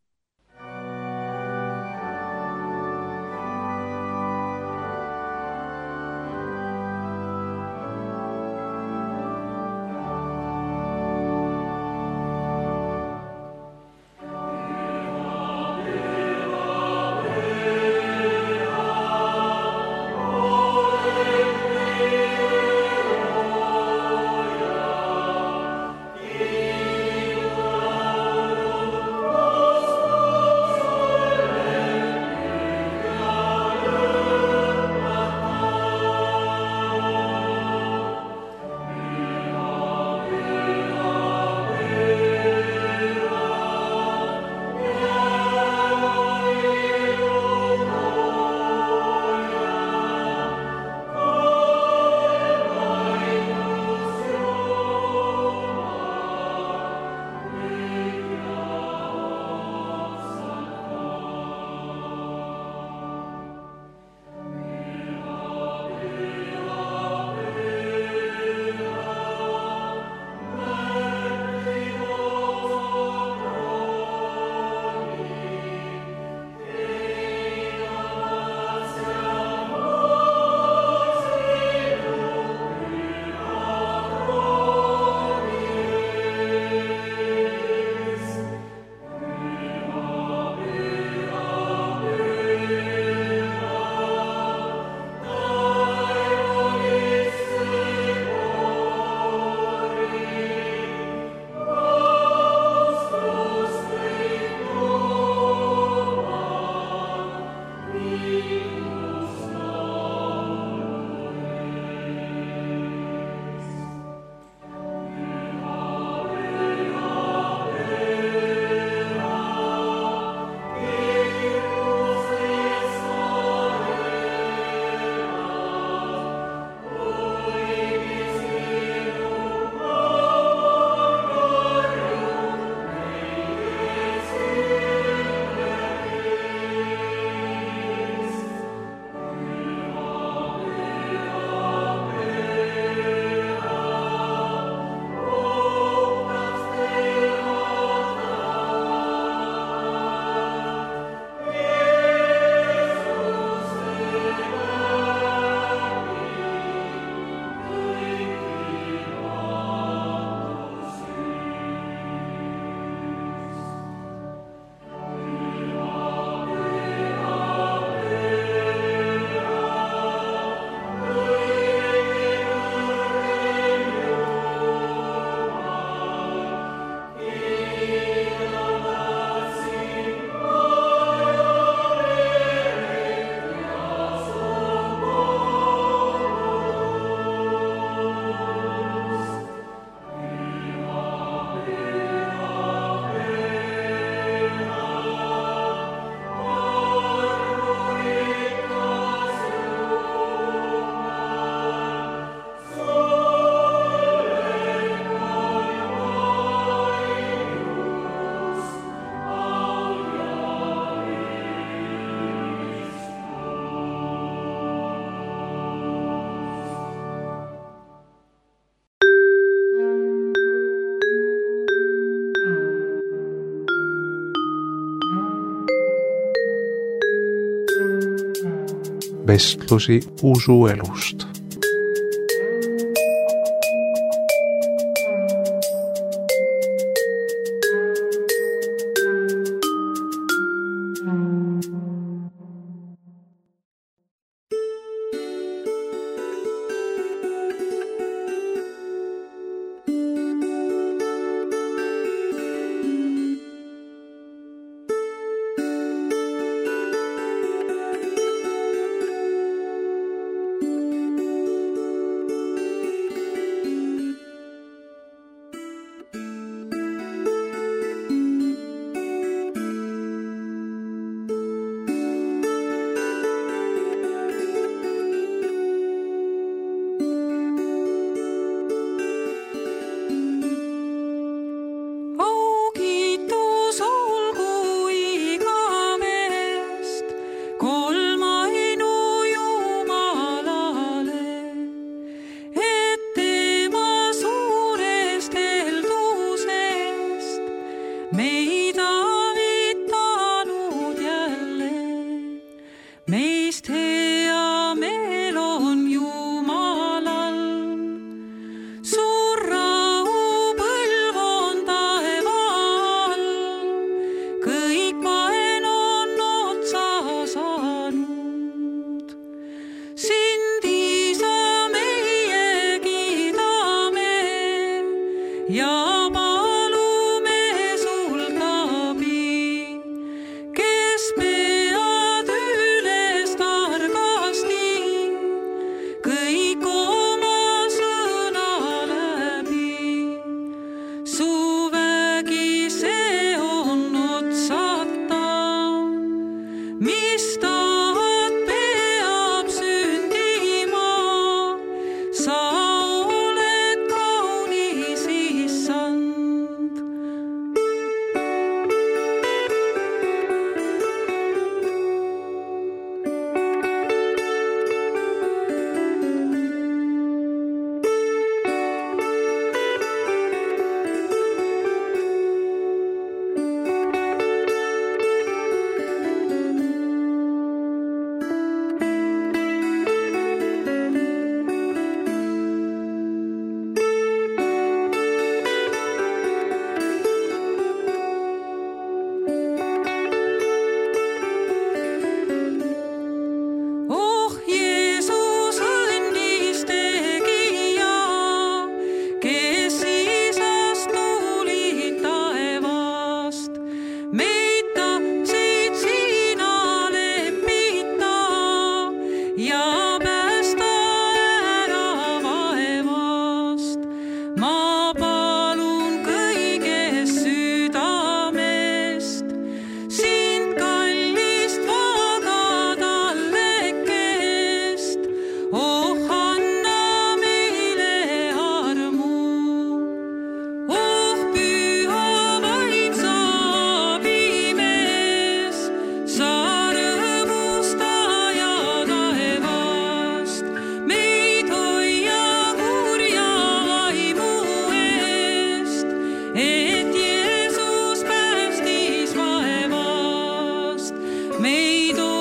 vestlusi usuelust. Meid